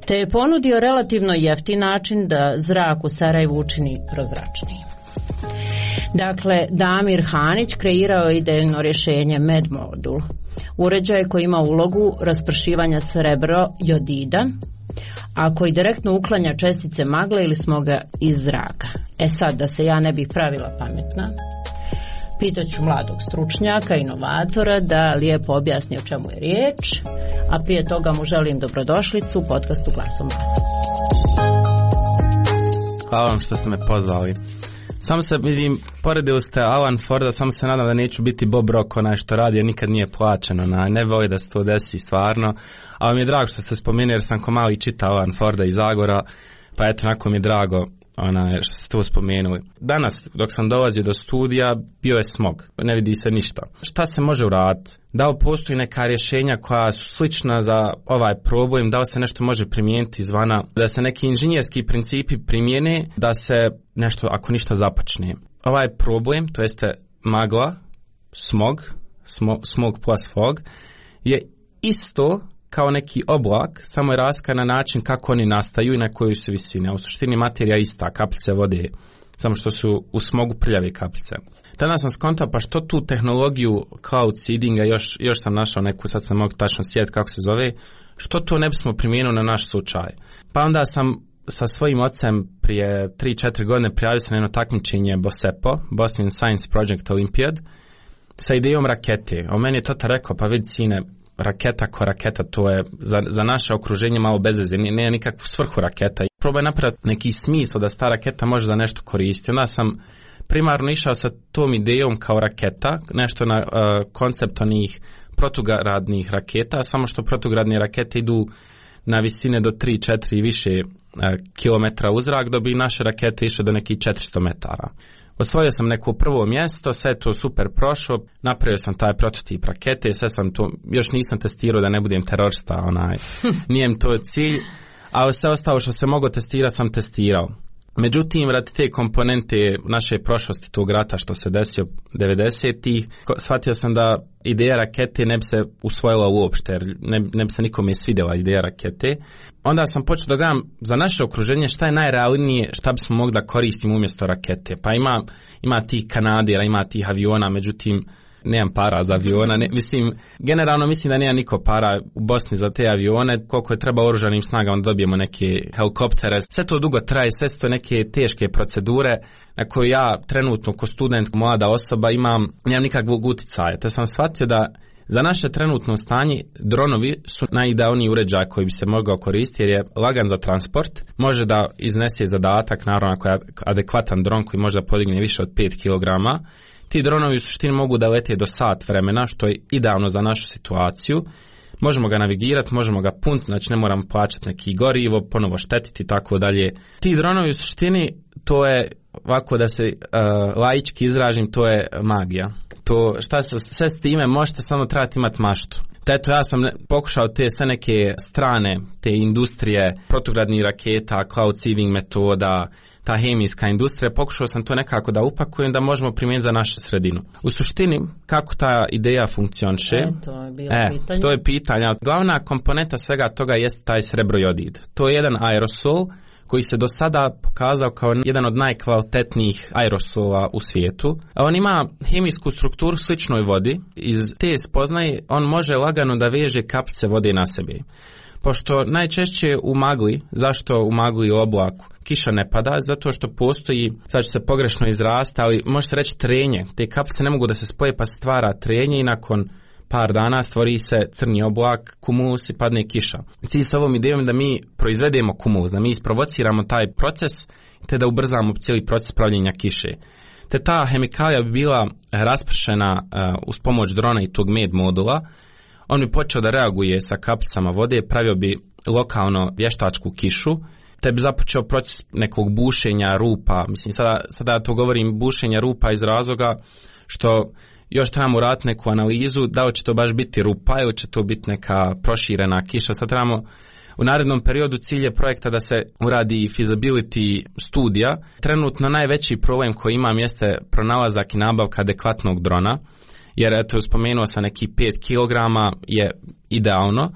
te je ponudio relativno jeftin način da zrak u Sarajevu učini prozračniji. Dakle, Damir Hanić kreirao je idejno rješenje MedModul, uređaj koji ima ulogu raspršivanja srebro-jodida, a koji direktno uklanja čestice magle ili smoga iz zraka. Sad, da se ja ne bih pravila pametna, pitaću mladog stručnjaka, inovatora, da lijepo objasni o čemu je riječ, a prije toga mu želim dobrodošlicu u podcastu Glaso mladih. Hvala vam što ste me pozvali. Samo se vidim, poredili ste Alan Forda, samo se nadam da neću biti Bob Rock, onaj što radi, jer nikad nije plaćeno, ne voli da se to desi stvarno, ali mi je drago što ste spomenuli, jer sam ko mali čitao Alan Forda iz Zagora, pa eto, onako mi je drago što ste to spomenuli. Danas, dok sam dolazio do studija, bio je smog, ne vidi se ništa. Šta se može uraditi? Da li postoji neka rješenja koja su slična za ovaj problem, da li se nešto može primijeniti izvana, da se neki inženjerski principi primijene, da se nešto, ako ništa, započne. Ovaj problem, to jeste magla, smog plus fog, je isto kao neki oblak, samo je razlika na način kako oni nastaju i na kojoj su visine. U suštini materija ista, kapljice vode, samo što su u smogu prljave kapljice. Tada sam skontao, pa što tu tehnologiju cloud seedinga, još sam našao neku, sad sam mogu tačno sjetiti kako se zove, što to ne bismo primijenili na naš slučaj. Pa onda sam sa svojim ocem prije 3-4 godine prijavio se na jedno takmičenje BOSEPO, Bosnian Science Project Olympiad, sa idejom rakete. O meni je tata rekao, pa vidi sine, raketa ko raketa, to je za naše okruženje malo bezveze, nema nikakvu svrhu raketa. Probaj napraviti neki smisao da ta raketa može da nešto koristi. Onda sam primarno išao sa tom idejom kao raketa, nešto na koncept onih protugradnih raketa, samo što protugradne rakete idu na visine do 3-4 i više kilometra u zrak, da bi naše rakete išle do nekih 400 metara. Osvojio sam neko prvo mjesto, sve to super prošlo, napravio sam taj prototip rakete, sve sam to, još nisam testirao da ne budem terorista, nije mi to cilj, ali sve ostalo što se mogu testirati sam testirao. Međutim, radi te komponente naše prošlosti tog rata što se desio 90-ih, shvatio sam da ideja rakete ne bi se usvojila uopšte, jer ne bi se nikome svidjela ideja rakete. Onda sam počeo da gledam za naše okruženje šta je najrealnije, šta bismo mogli da koristimo umjesto rakete. Pa ima tih kanadera, ima tih aviona, međutim, nemam para za aviona, generalno mislim da nema niko para u Bosni za te avione, koliko je treba oružanim snagama da dobijemo neke helikoptere, sve to dugo traje, sve su to neke teške procedure na koje ja trenutno ko student, mlada osoba nemam nikakvog uticaja, te sam shvatio da za naše trenutno stanje dronovi su najidealniji uređaj koji bi se mogao koristiti jer je lagan za transport, može da iznese zadatak, naravno ako je adekvatan dron koji može da podigne više od 5 kg. Ti dronovi u suštini mogu da lete do sat vremena, što je idealno za našu situaciju. Možemo ga navigirati, možemo ga punti, znači ne moramo plaćati neki gorivo, ponovo štetiti i tako dalje. Ti dronovi u suštini, to je, ovako da se laički izražim, to je magija. To šta se sve s time možete, samo trebati imati maštu. Eto, ja sam pokušao te sve neke strane, te industrije, protugradnih raketa, cloud seeding metoda, ta hemijska industrija, pokušao sam to nekako da upakujem da možemo primijeniti za našu sredinu. U suštini, kako ta ideja funkcioniše? To je pitanje. Glavna komponenta svega toga jeste taj srebrojodid. To je jedan aerosol koji se do sada pokazao kao jedan od najkvalitetnijih aerosola u svijetu. On ima hemijsku strukturu sličnoj vodi. Iz te spoznaje on može lagano da veže kapljice vode na sebe. Pošto najčešće u magli, zašto u magli i oblaku kiša ne pada? Zato što postoji, sad će se pogrešno izrasti, ali može se reći trenje. Te kapljice ne mogu da se spoje pa se stvara trenje i nakon par dana stvori se crni oblak, kumulus i padne kiša. Cilj sa ovom idejom je da mi proizvedemo kumulus, da mi isprovociramo taj proces te da ubrzamo cijeli proces pravljenja kiše. Te ta hemikalija bi bila raspršena uz pomoć drona i tog med modula. On bi počeo da reaguje sa kapljicama vode, pravio bi lokalno vještačku kišu, te bi započeo proces nekog bušenja rupa. Mislim, sada to govorim bušenja rupa iz razloga što još trebamo uraditi neku analizu, da li će to baš biti rupa ili će to biti neka proširena kiša. Sad trebamo u narednom periodu cilj je projekta da se uradi feasibility studija. Trenutno najveći problem koji imam jeste pronalazak i nabavka adekvatnog drona, jer eto spomenuo sam neki 5 kg je idealno,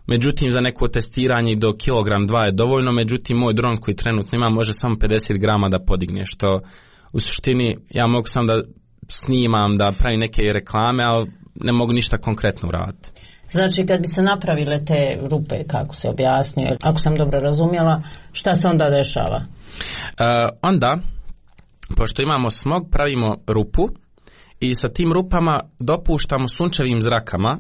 međutim za neko testiranje do kilogram 2 je dovoljno, međutim moj dron koji trenutno ima može samo 50 grama da podigne, što u suštini ja mogu sam da snimam, da pravim neke reklame, ali ne mogu ništa konkretno uraditi. Znači kad bi se napravile te rupe, kako se objasnio, ako sam dobro razumjela, šta se onda dešava? Onda, pošto imamo smog, pravimo rupu i sa tim rupama dopuštamo sunčevim zrakama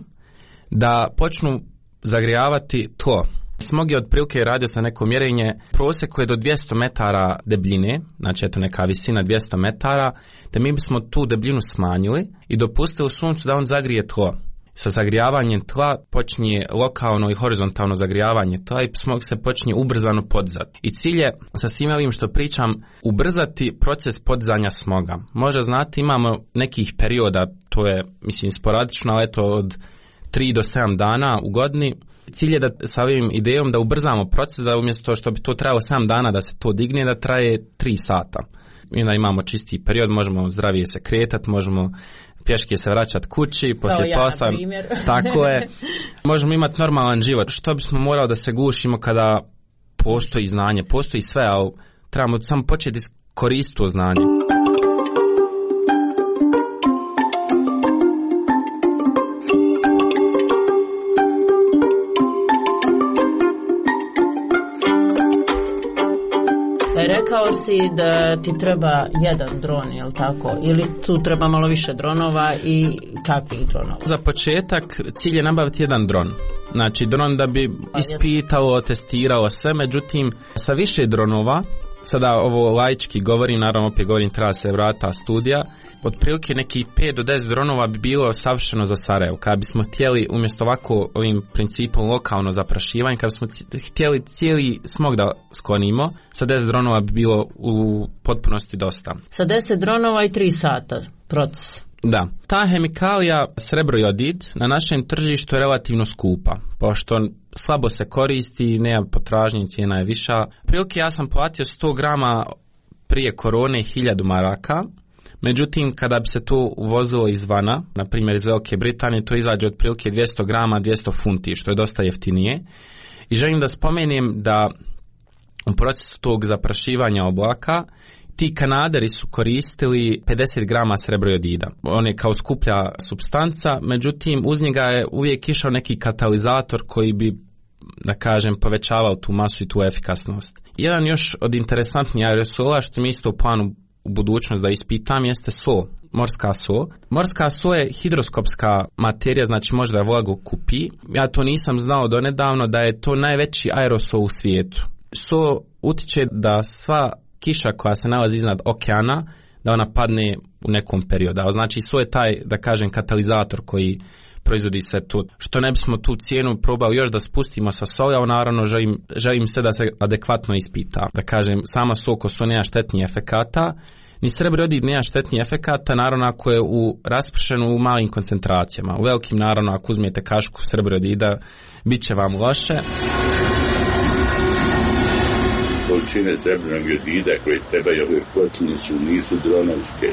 da počnu zagrijavati tlo. Smog je otprilike, radio sam neko mjerenje, prosjek je do 200 metara debljine, znači eto neka visina 200 metara, te mi bismo tu debljinu smanjili i dopustili suncu da on zagrije tlo. Sa zagrijavanjem tla počinje lokalno i horizontalno zagrijavanje tla i smog se počinje ubrzano podizati. I cilj je, sa svim ovim što pričam, ubrzati proces podizanja smoga. Možda znate, imamo nekih perioda, to je mislim sporadično, ali eto od 3 do 7 dana u godini. Cilj je da sa ovim idejom da ubrzamo proces, da umjesto što bi to trajalo 7 dana da se to digne, da traje 3 sata. I onda imamo čisti period, možemo zdravije se kretati, možemo pješke se vraćati kući, poslije posla, tako je. Možemo imati normalan život. Što bismo morali da se gušimo kada postoji znanje, postoji sve, ali trebamo samo početi koristiti to znanje. Rekao si da ti treba jedan dron, je li tako? Ili tu treba malo više dronova i kakvih dronova? Za početak cilj je nabaviti jedan dron. Znači dron da bi ispitalo, testiralo sve, međutim sa više dronova, sada ovo laički govorim, naravno opet govorim, treba se vrata studija, otprilike nekih 5 do 10 dronova bi bilo savršeno za Sarajevo. Kada bismo htjeli umjesto ovako ovim principom lokalno zaprašivanje, kada bismo htjeli cijeli smog da sklonimo, sa 10 dronova bi bilo u potpunosti dosta. Sa 10 dronova i 3 sata proces. Da. Ta hemikalija srebrojodid na našem tržištu je relativno skupa, pošto slabo se koristi, nema potražnje, cijena je viša. Prilike ja sam platio 100 grama prije korone 1000 maraka, međutim kada bi se to uvozilo izvana, na primjer iz Velike Britanije, to izađe otprilike 200 grama 200 funti, što je dosta jeftinije. I želim da spomenem da u procesu tog zaprašivanja oblaka ti Kanaderi su koristili 50 grama srebrojodida. On je kao skuplja supstanca, međutim uz njega je uvijek išao neki katalizator koji bi, da kažem, povećavao tu masu i tu efikasnost. Jedan još od interesantnijih aerosola što mi isto u planu u budućnost da ispitam jeste so, morska so. Morska so je hidroskopska materija, znači može da vlagu kupi. Ja to nisam znao donedavno da je to najveći aerosol u svijetu. So utiče da sva kiša koja se nalazi iznad okeana, da ona padne u nekom periodu. Znači, so je taj, da kažem, katalizator koji proizvodi sve to. Što ne bismo tu cijenu probali još da spustimo sa soli, a naravno želim se da se adekvatno ispita. Da kažem, sama soko so nema štetnih efekata, ni srebrojodid nema štetnih efekata, naravno ako je raspršeno u malim koncentracijama. U velikim, naravno, ako uzmete kašku srebrojodida, bit će vam loše. Količine srebrnog jodida koje trebaju ove kotline nisu dronovske,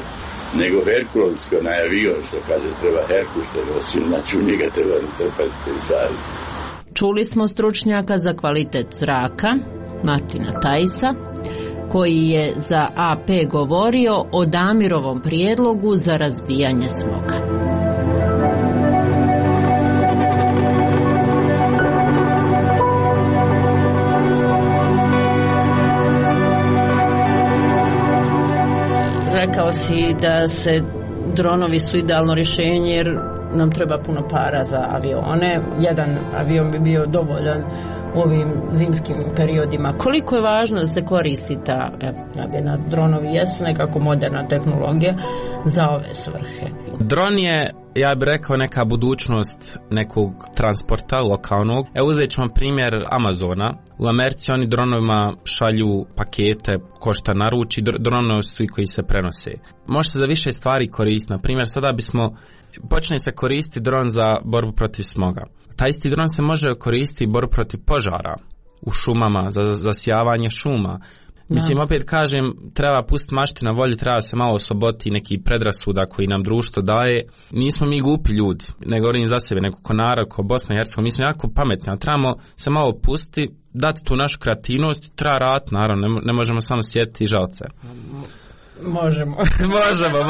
nego herkulovsko na avion, što kaže treba Herkul što nosim, znači u njega treba natrpati te stvari. Čuli smo stručnjaka za kvalitet zraka, Martina Tajsa, koji je za AP govorio o Damirovom prijedlogu za razbijanje smoga. Rekao si da se dronovi su idealno rješenje jer nam treba puno para za avione. Jedan avion bi bio dovoljan u ovim zimskim periodima. Koliko je važno da se koristi ta dronovi jesu nekako moderna tehnologija za ove svrhe? Dron je, ja bih rekao, neka budućnost nekog transporta lokalnog. Evo uzet ćemo primjer Amazona. U Americi oni dronovima šalju pakete ko šta naruči, dronovi su i koji se prenose. Može se za više stvari koristiti. Na primjer, sada počne se koristiti dron za borbu protiv smoga. Taj isti dron se može koristiti borbu protiv požara u šumama, za zasijavanje šuma. Mislim, opet kažem, treba pustiti mašti na volju, treba se malo osloboditi neki predrasuda koji nam društvo daje. Nismo mi glupi ljudi, ne govorim za sebe, nego ko narod, ko Bosna i Hercegovina, mi smo jako pametni, a trebamo se malo pustiti, dati tu našu kreativnost, treba raditi, naravno, ne možemo samo sjetiti žalce. Možemo.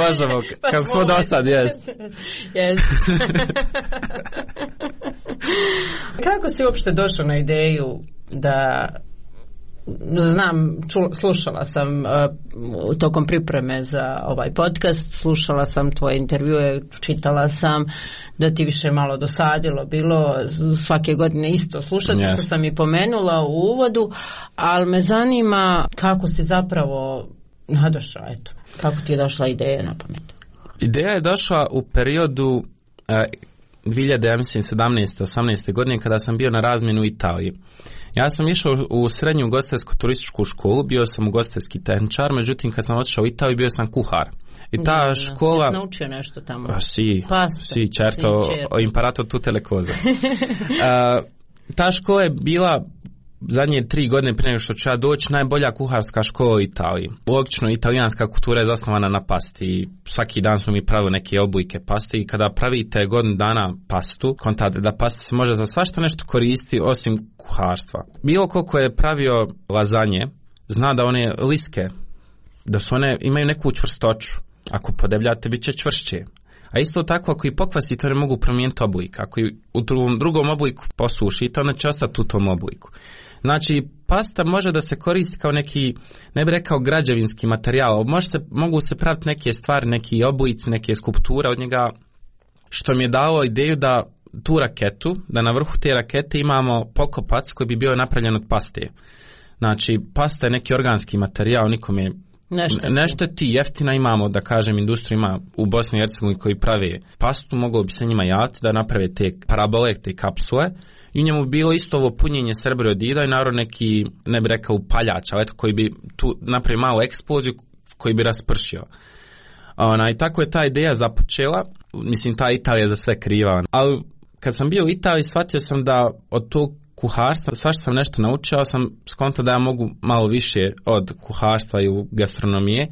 možemo. Kako smo do sad, jest. Kako si uopšte došao na ideju da, znam, slušala sam tokom pripreme za ovaj podcast, slušala sam tvoje intervjue, čitala sam da ti više malo dosadilo bilo svake godine isto slušati, što sam i pomenula u uvodu, ali me zanima kako si zapravo nadošla, eto, kako ti je došla ideja na pamet? Ideja je došla u periodu 2017-18. godine kada sam bio na razmjenu u Italiji. Ja sam išao u srednju ugostiteljsko-turističku školu, bio sam ugostiteljski tehničar, međutim kad sam otišao u Italiju bio sam kuhar. I ta škola... Jesi naučio nešto tamo? Si, certo, ho imparato tutte le cose. Ta škola je bila zadnje 3 godine prije nego što ću ja doći najbolja kuharska škola u Italiji. Logično, italijanska kultura je zasnovana na pasti. Svaki dan smo mi pravili neke obujke pasti i kada pravite godinu dana pastu, kontate da pasta se može za svašta nešto koristi osim kuharstva. Bilo koliko je pravio lazanje, zna da one liske, da su one imaju neku čvrstoću. Ako podebljate, bit će čvršće. A isto tako, ako i pokvasite, one mogu promijeniti oblik. Ako i u drugom obliku posušite, one će ostati u tom obliku. Znači, pasta može da se koristi kao neki, ne bih rekao građevinski materijal, mogu se praviti neke stvari, neki oblici, neke skulpture od njega, što mi je dalo ideju da tu raketu, da na vrhu te rakete imamo pokopac koji bi bio napravljen od paste. Znači, pasta je neki organski materijal, nikome ne šteti, jeftina, imamo, da kažem, industriju ima u Bosni i Hercegovini koji prave pastu, moglo bi se njima javiti da naprave te parabole, te kapsule, i u njemu bilo isto ovo punjenje srebrovodida i naravno neki, ne bi rekao upaljač, ali eto, koji bi tu napravio malu eksploziju koji bi raspršio. I tako je ta ideja započela, mislim, ta Italija za sve kriva, ali kad sam bio u Italiji shvatio sam da od tog kuharstva, svašta sam nešto naučio, sam skontao da ja mogu malo više od kuharstva i u gastronomije,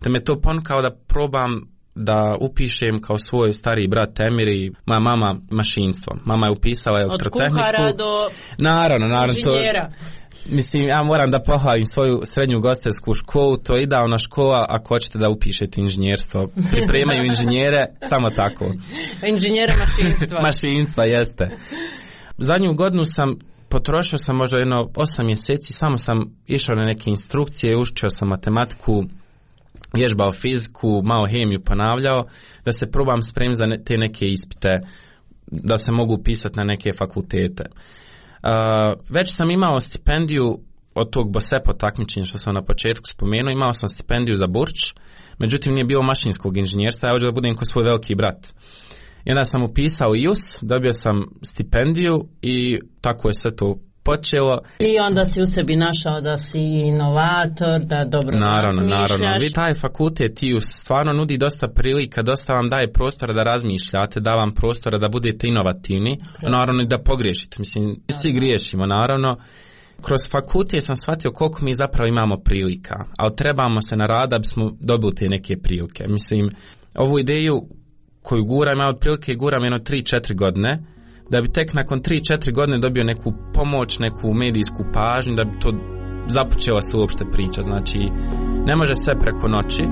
da me to ponukao da probam da upišem kao svoj stariji brat Emir i moja mama mašinstvo. Mama je upisala elektrotehniku. Od kuhara do naravno, inženjera. Mislim, ja moram da pohvalim svoju srednju ugostiteljsku školu, to je idealna škola ako hoćete da upišete inženjerstvo. Pripremaju inženjere, samo tako. Inženjera mašinstva. Mašinstva, jeste. Zadnju godinu potrošio sam možda 8 mjeseci, samo sam išao na neke instrukcije, učio sam matematiku, vježbao fiziku, malo hemiju ponavljao, da se probam spremiti za te neke ispite, da se mogu upisati na neke fakultete. Već sam imao stipendiju od tog BOSEPO takmičenja što sam na početku spomenuo, imao sam stipendiju za Burč, međutim nije bilo mašinskog inženjerstva, ja hoću da budem kao svoj veliki brat. I onda sam upisao IUS, dobio sam stipendiju i tako je sve to počelo. I onda si u sebi našao da si inovator, da dobro razmišljaš. Naravno. Vi taj fakultet IUS stvarno nudi dosta prilika, dosta vam daje prostora da razmišljate, da vam prostora da budete inovativni, naravno i da pogriješite. Mislim, svi griješimo, naravno. Kroz fakultet sam shvatio koliko mi zapravo imamo prilika, ali trebamo se naraditi da bismo dobili te neke prilike. Mislim, ovu ideju koju guram, ja otprilike guram 3-4 godine, da bi tek nakon 3-4 godine dobio neku pomoć, neku medijsku pažnju, da bi to započela se uopšte priča. Znači, ne može sve preko noći.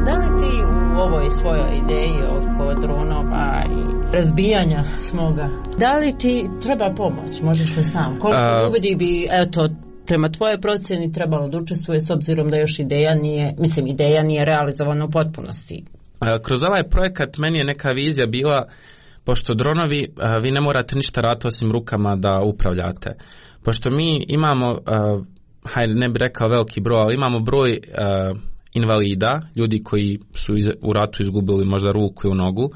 Da li ti u ovoj svojoj ideji oko dronova i razbijanja smoga, da li ti treba pomoć? Možeš li sam? Koliko ljudi bi, eto, prema tvojoj procjeni trebalo da učestvuje s obzirom da još ideja nije realizovana u potpunosti? Kroz ovaj projekat meni je neka vizija bila, pošto dronovi, vi ne morate ništa raditi osim rukama da upravljate. Pošto mi imamo, ne bih rekao veliki broj, ali imamo broj invalida, ljudi koji su u ratu izgubili možda ruku i nogu,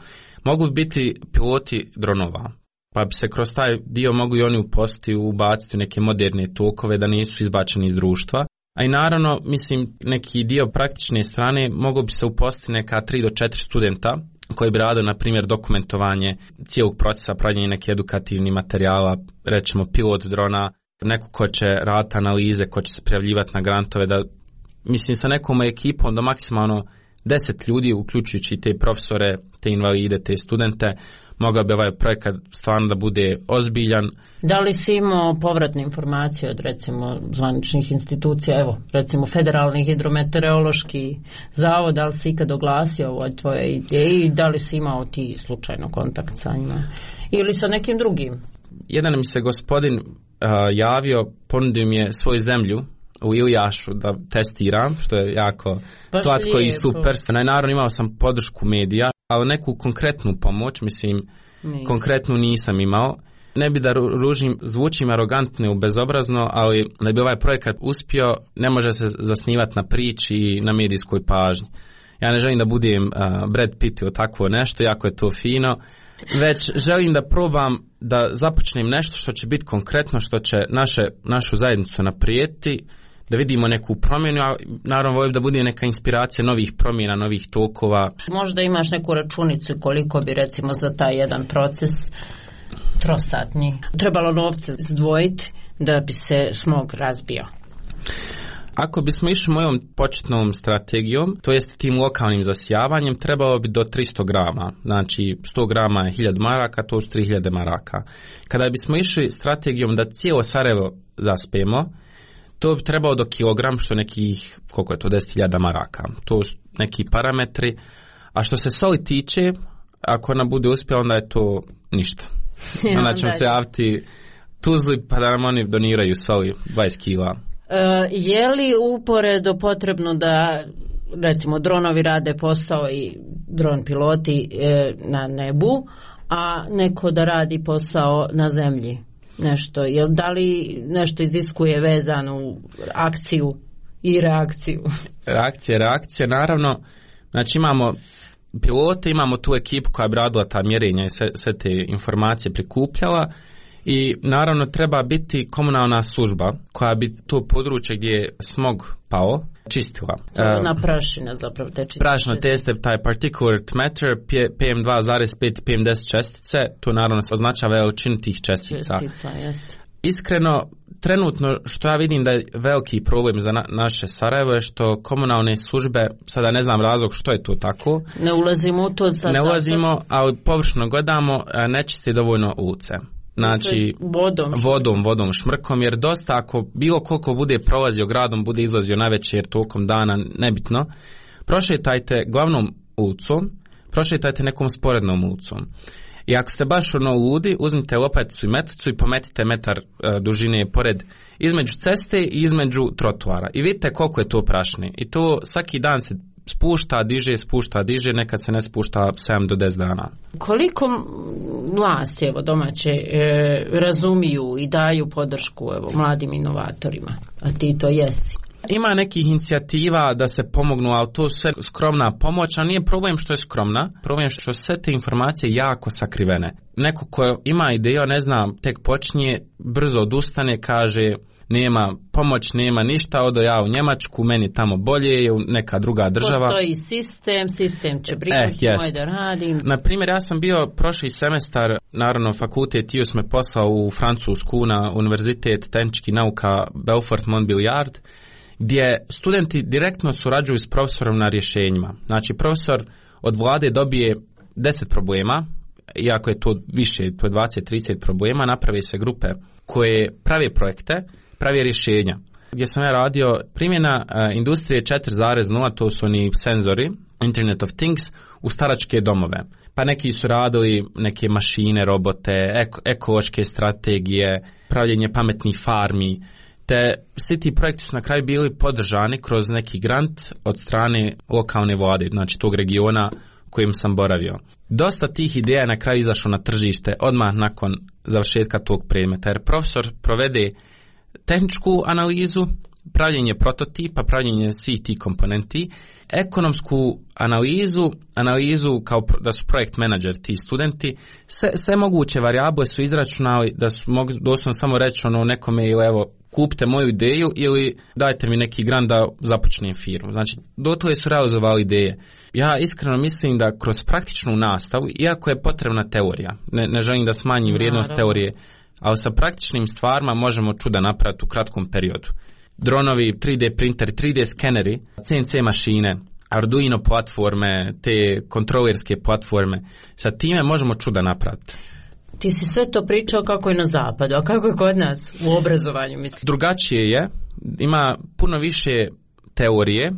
mogu biti piloti dronova. Pa bi se kroz taj dio mogu i oni uposliti, ubaciti u neke moderne tokove da nisu izbačeni iz društva. A i naravno, mislim, neki dio praktične strane mogu bi se uposliti neka 3 do 4 studenta koji bi radili, na primjer, dokumentovanje cijelog procesa, pravljenje neke edukativnih materijala, recimo pilot drona, neko ko će raditi analize, ko će se prijavljivati na grantove, da, mislim, sa nekom ekipom do maksimalno 10 ljudi, uključujući te profesore, te invalide, te studente, mogao bi ovaj projekat stvarno da bude ozbiljan. Da li si imao povratne informacije od, recimo, zvaničnih institucija, evo, recimo Federalni hidrometeorološki zavod, da li si ikad oglasio o ovoj tvojoj ideji, da li si imao ti slučajno kontakt sa njima ili sa nekim drugim? Jedan mi se gospodin javio, ponudio mi je svoju zemlju u Ilijašu da testiram, što je jako slatko i super. Naravno imao sam podršku medija, ali neku konkretnu pomoć, mislim, konkretnu nisam imao. Ne bi da zvučim arogantno i bezobrazno, ali da bi ovaj projekat uspio, ne može se zasnivati na priči i na medijskoj pažnji. Ja ne želim da budem Brad Pitt ili takvo nešto, jako je to fino, već želim da probam da započnem nešto što će biti konkretno, što će našu zajednicu naprijediti, da vidimo neku promjenu, a naravno volim da bude neka inspiracija novih promjena, novih tokova. Možda imaš neku računicu koliko bi, recimo, za taj jedan proces trosatni trebalo novce zdvojiti da bi se smog razbio? Ako bismo išli mojom početnom strategijom, to jest tim lokalnim zasijavanjem, trebalo bi do 300 grama. Znači 100 grama je 1000 maraka, to su 3000 maraka. Kada bismo išli strategijom da cijelo Sarajevo zaspemo, to bi trebao do kilogram, što nekih, koliko je to, 10.000 maraka. To su neki parametri. A što se soli tiče, ako ona bude uspjela, onda je to ništa. Onda ćemo se javiti Tuzli pa da nam oni doniraju soli 20 kila. Je li uporedo potrebno da, recimo, dronovi rade posao i dron piloti na nebu, a neko da radi posao na zemlji? Nešto, da li nešto iziskuje vezanu akciju i reakciju? Reakcija, naravno. Znači imamo pilote, imamo tu ekipu koja bi radila ta mjerenja i sve te informacije prikupljala i naravno treba biti komunalna služba koja bi to područje gdje je smog pao čistila. Na prašina zapravo te čistite. Prašina teste, taj particulate matter, PM2,5 i PM10 čestice, to naravno se označava veličinu tih čestica. Iskreno, trenutno što ja vidim da je veliki problem za naše Sarajevo je što komunalne službe, sada ne znam razlog što je to tako. Ne ulazimo u to sad. Ne ulazimo, ali površno gledamo, ne čiste dovoljno ulice. Znači vodom, šmrkom, jer dosta ako bilo koliko bude prolazio gradom, bude izlazio na večer tokom dana, nebitno, prošetajte glavnom ulicom, prošetajte nekom sporednom ulicom. I ako ste baš ludi, uzmite lopaticu i metlicu i pometite metar dužine pored između ceste i između trotoara. I vidite koliko je to prašni. I to svaki dan se spušta, diže, nekad se ne spušta 7 do 10 dana. Koliko vlasti domaće razumiju i daju podršku mladim inovatorima, a ti to jesi? Ima nekih inicijativa da se pomognu, ali to sve skromna pomoć, a nije problem što je skromna, problem što sve te informacije jako sakrivene. Neko ko ima ideju, ne znam, tek počinje, brzo odustane, kaže nema pomoć, nema ništa, odo ja u Njemačku, meni tamo bolje, je u neka druga država. Postoji sistem će brinuti moj da radim. Naprimjer, ja sam bio prošli semestar, naravno fakultet TUS me poslao u Francusku na Univerzitet tehničkih nauka Belfort-Montbéliard, gdje studenti direktno surađuju s profesorom na rješenjima. Znači, profesor od vlade dobije 10 problema, iako je to više, to je 20-30 problema, naprave se grupe koje prave projekte, prave rješenja. Gdje sam ja radio primjena industrije 4.0, to su oni senzori, Internet of Things, u staračke domove. Pa neki su radili neke mašine, robote, ekološke strategije, pravljenje pametnih farmi, te svi ti projekti su na kraju bili podržani kroz neki grant od strane lokalne vlade, znači tog regiona u kojem sam boravio. Dosta tih ideja je na kraju izašlo na tržište odmah nakon završetka tog predmeta, jer profesor provede tehničku analizu, pravljenje prototipa, pravljenje svih tih komponenti, ekonomsku analizu kao da su projekt menadžer ti studenti, sve moguće varijable su izračunali da su mogu doslovno samo reći nekome ili evo kupite moju ideju ili dajte mi neki grant da započnem firmu. Znači, do toga su realizovali ideje. Ja iskreno mislim da kroz praktičnu nastavu, iako je potrebna teorija, ne želim da smanjim vrijednost teorije, ali sa praktičnim stvarima možemo čuda napraviti u kratkom periodu. Dronovi, 3D printeri, 3D skeneri, CNC mašine, Arduino platforme, te kontrolerske platforme, sa time možemo čuda napraviti. Ti si sve to pričao kako je na zapadu, a kako je kod nas u obrazovanju, mislim? Drugačije je, ima puno više teorije,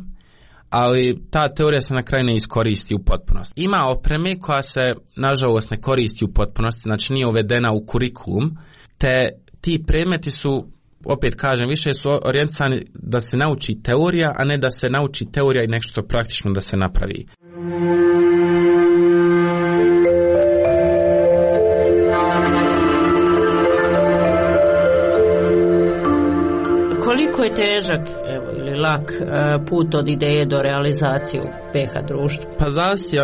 ali ta teorija se na kraju ne iskoristi u potpunosti. Ima opreme koja se, nažalost, ne koristi u potpunosti, znači nije uvedena u kurikulum, te ti predmeti su, opet kažem, više su orijentisani da se nauči teorija, a ne da se nauči teorija i nešto praktično da se napravi. Koliko je težak ili lak put od ideje do realizacije u PH društvu? Pa zavisi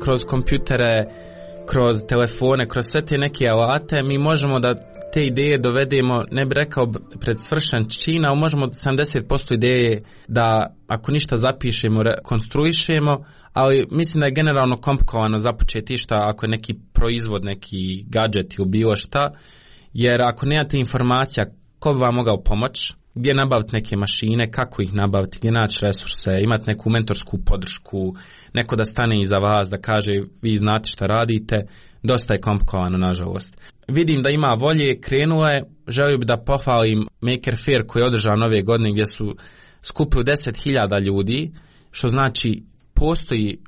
kroz kompjutere, kroz telefone, kroz sve te neke alate, mi možemo da te ideje dovedemo, ne bi rekao pred svršen čin, ali možemo 70% ideje da ako ništa zapišemo, konstruišemo, ali mislim da je generalno komplikovano započeti išta ako je neki proizvod, neki gadget ili bilo šta, jer ako nemate informacija ko bi vam mogao pomoći, gdje nabaviti neke mašine, kako ih nabaviti, gdje naći resurse, imati neku mentorsku podršku, neko da stane iza vas, da kaže vi znate šta radite, dosta je komplikovano, nažalost. vidim da ima volje, krenuo je, želio bi da pohvalim Maker Faire koji je održao ove godine gdje su skupili 10.000 ljudi, što znači postoji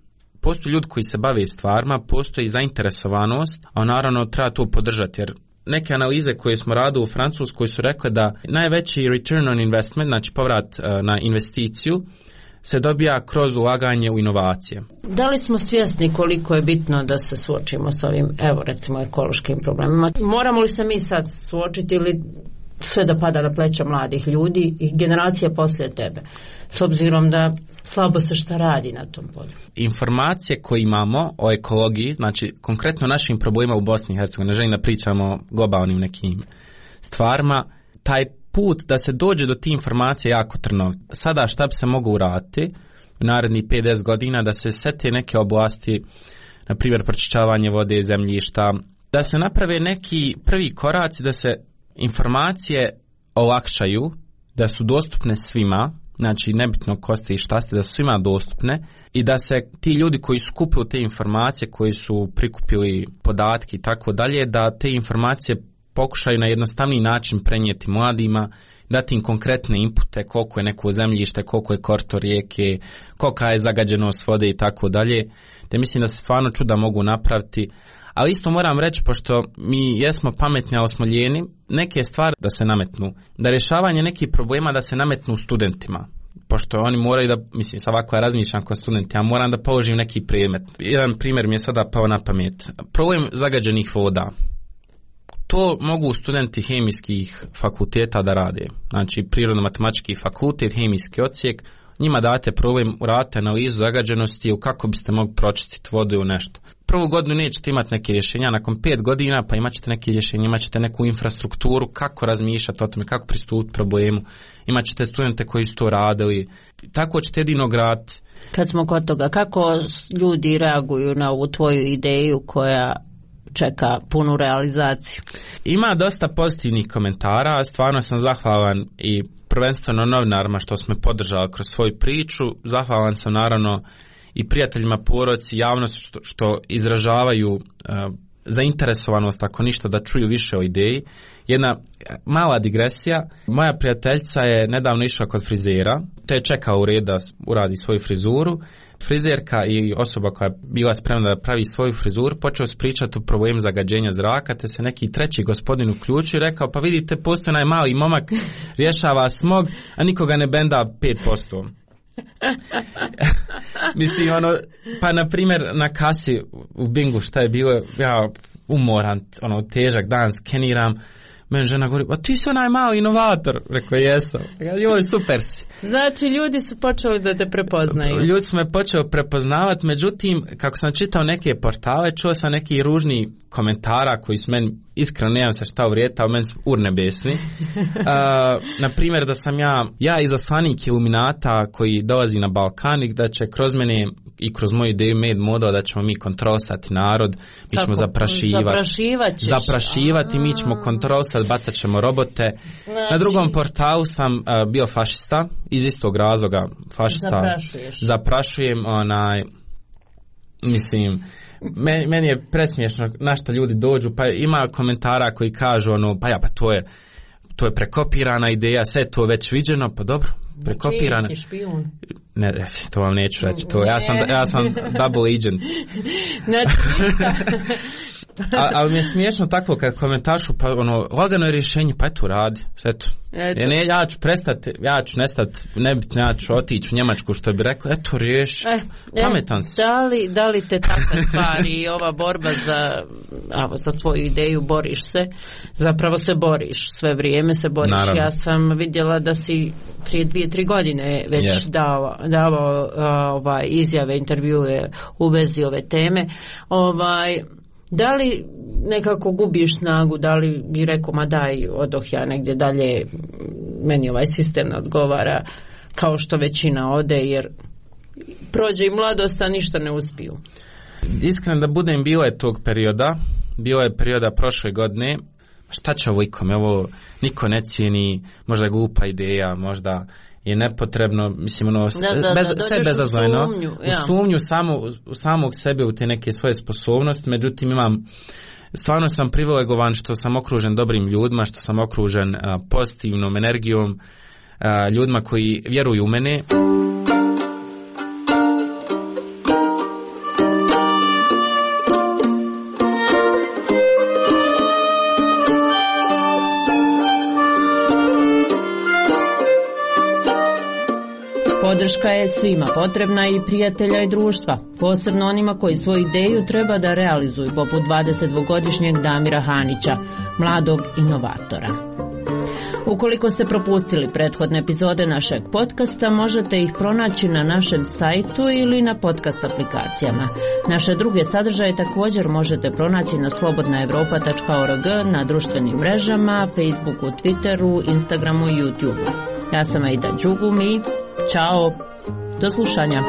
ljudi koji se bave stvarima, postoji zainteresovanost, a naravno treba to podržati, jer neke analize koje smo radili u Francuskoj su rekle da najveći return on investment, znači povrat na investiciju, se dobija kroz ulaganje u inovacije. Da li smo svjesni koliko je bitno da se suočimo s ovim, evo recimo, ekološkim problemima? Moramo li se mi sad suočiti ili sve da pada na pleća mladih ljudi i generacije poslije tebe, s obzirom da slabo se šta radi na tom polju? Informacije koje imamo o ekologiji, znači konkretno našim problemima u Bosni i Hercegovini, ne želim da pričamo o globalnim nekim stvarima, taj put da se dođe do tih informacija jako trnov. Sada šta bi se moglo uraditi u narednih 50 godina da se sete neke oblasti, na primjer pročišćavanje vode, zemljišta, da se naprave neki prvi koraci, da se informacije olakšaju, da su dostupne svima, znači nebitno ko ste i šta ste, da su svima dostupne i da se ti ljudi koji skupili te informacije, koji su prikupili podatke i tako dalje, da te informacije pokušaju na jednostavniji način prenijeti mladima, dati im konkretne inpute, koliko je neko zemljište, koliko je korito rijeke, kolika je zagađenost vode i tako dalje. Te mislim da se stvarno čuda mogu napraviti. Ali isto moram reći, pošto mi jesmo pametni, ali smo lijeni, neke stvari da se nametnu. Da rješavanje nekih problema da se nametnu studentima. Pošto oni moraju da, mislim, sa ovako ja razmišljam kao studenti, ja moram da položim neki predmet. Jedan primjer mi je sada pao na pamet. Problem zagađenih voda. To mogu studenti hemijskih fakulteta da rade. Znači, prirodno-matematički fakultet, hemijski odsjek, njima date problem, uradite analizu zagađenosti u kako biste mogli pročistiti vodu u nešto. Prvu godinu nećete imati neke rješenja, nakon 5 godina pa imat ćete neke rješenja, imat ćete neku infrastrukturu, kako razmišljati o tome, kako pristupiti problemu, imat ćete studente koji su to radili, tako ćete jedino graditi. Kad smo kod toga, kako ljudi reaguju na ovu tvoju ideju koja čeka punu realizaciju? Ima dosta pozitivnih komentara, stvarno sam zahvalan i prvenstveno novinarima što smo podržali kroz svoju priču, zahvalan sam naravno i prijateljima, porodici, javnosti što izražavaju zainteresovanost, ako ništa, da čuju više o ideji. Jedna mala digresija, moja prijateljica je nedavno išla kod frizera, te je čekao u red da uradi svoju frizuru. Frizerka i osoba koja je bila spremna da pravi svoju frizuru počeo pričati o problemu zagađenja zraka, te se neki treći gospodin uključio i rekao, pa vidite, postoji onaj mali momak, rješava smog, a nikoga ne benda 5%. Mislim, pa na primjer na kasi u Bingu šta je bilo, ja umoran, težak dan, skeniram, meni žena govori, a ti si onaj mali inovator. Rekao, jesam. Joj, super si. Znači, ljudi su počeli da te prepoznaju. Ljudi su me počeli prepoznavati, međutim, kako sam čitao neke portale, čuo sam neki ružni komentara koji su meni, iskreno nemam se šta uvrijeti, ali meni su urnebesni. Na primjer, da sam ja izaslanik Iluminata koji dolazi na Balkan i da će kroz mene i kroz moju ideju Made Model da ćemo mi kontrolisati narod, mi ćemo zaprašivati, mi ćemo kontrolisati, bacat ćemo robote. Znači, na drugom portalu sam bio fašista, iz istog razloga fašista. Zaprašujem, mislim, meni je presmiješno na što ljudi dođu, pa ima komentara koji kažu pa to je prekopirana ideja, sve to već viđeno, pa dobro, prekopirana. Ne, to vam neću reći, ja sam double agent. Ali mi je smiješno tako kad komentašu, pa lagano je rješenje, pa eto radi, eto. Ja ću prestati, ja ću nestati, nebitno, ja ću otići u Njemačku, što bi rekao, eto riješi, pametan si. Da li te takve stvari i ova borba za tvoju ideju, boriš se, zapravo se boriš, sve vrijeme se boriš. Naravno. Ja sam vidjela da si prije 2-3 godine već davao izjave, intervjue u vezi ove teme. Da li nekako gubiš snagu, da li bi rekao, ma daj, odoh ja negdje dalje, meni ovaj sistem ne odgovara, kao što većina ode, jer prođe i mladost, a ništa ne uspiju? Iskreno da budem, bilo je tog perioda, bilo je perioda prošle godine, šta će ovo ikome, ovo niko ne cijeni, možda je glupa ideja, možda je nepotrebno, mislim, sve bezazlojno, u sumnju samog sebe u te neke svoje sposobnosti, međutim imam stvarno sam privilegovan što sam okružen dobrim ljudima, što sam okružen pozitivnom energijom, ljudima koji vjeruju u mene. Podrška je svima potrebna i prijatelja i društva, posebno onima koji svoju ideju treba da realizuju, poput 22-godišnjeg Damira Hanića, mladog inovatora. Ukoliko ste propustili prethodne epizode našeg podcasta, možete ih pronaći na našem sajtu ili na podcast aplikacijama. Naše druge sadržaje također možete pronaći na slobodnaevropa.org, na društvenim mrežama, Facebooku, Twitteru, Instagramu i YouTubeu. Ja sam Aida Đugumi. Ćao, do slušanja.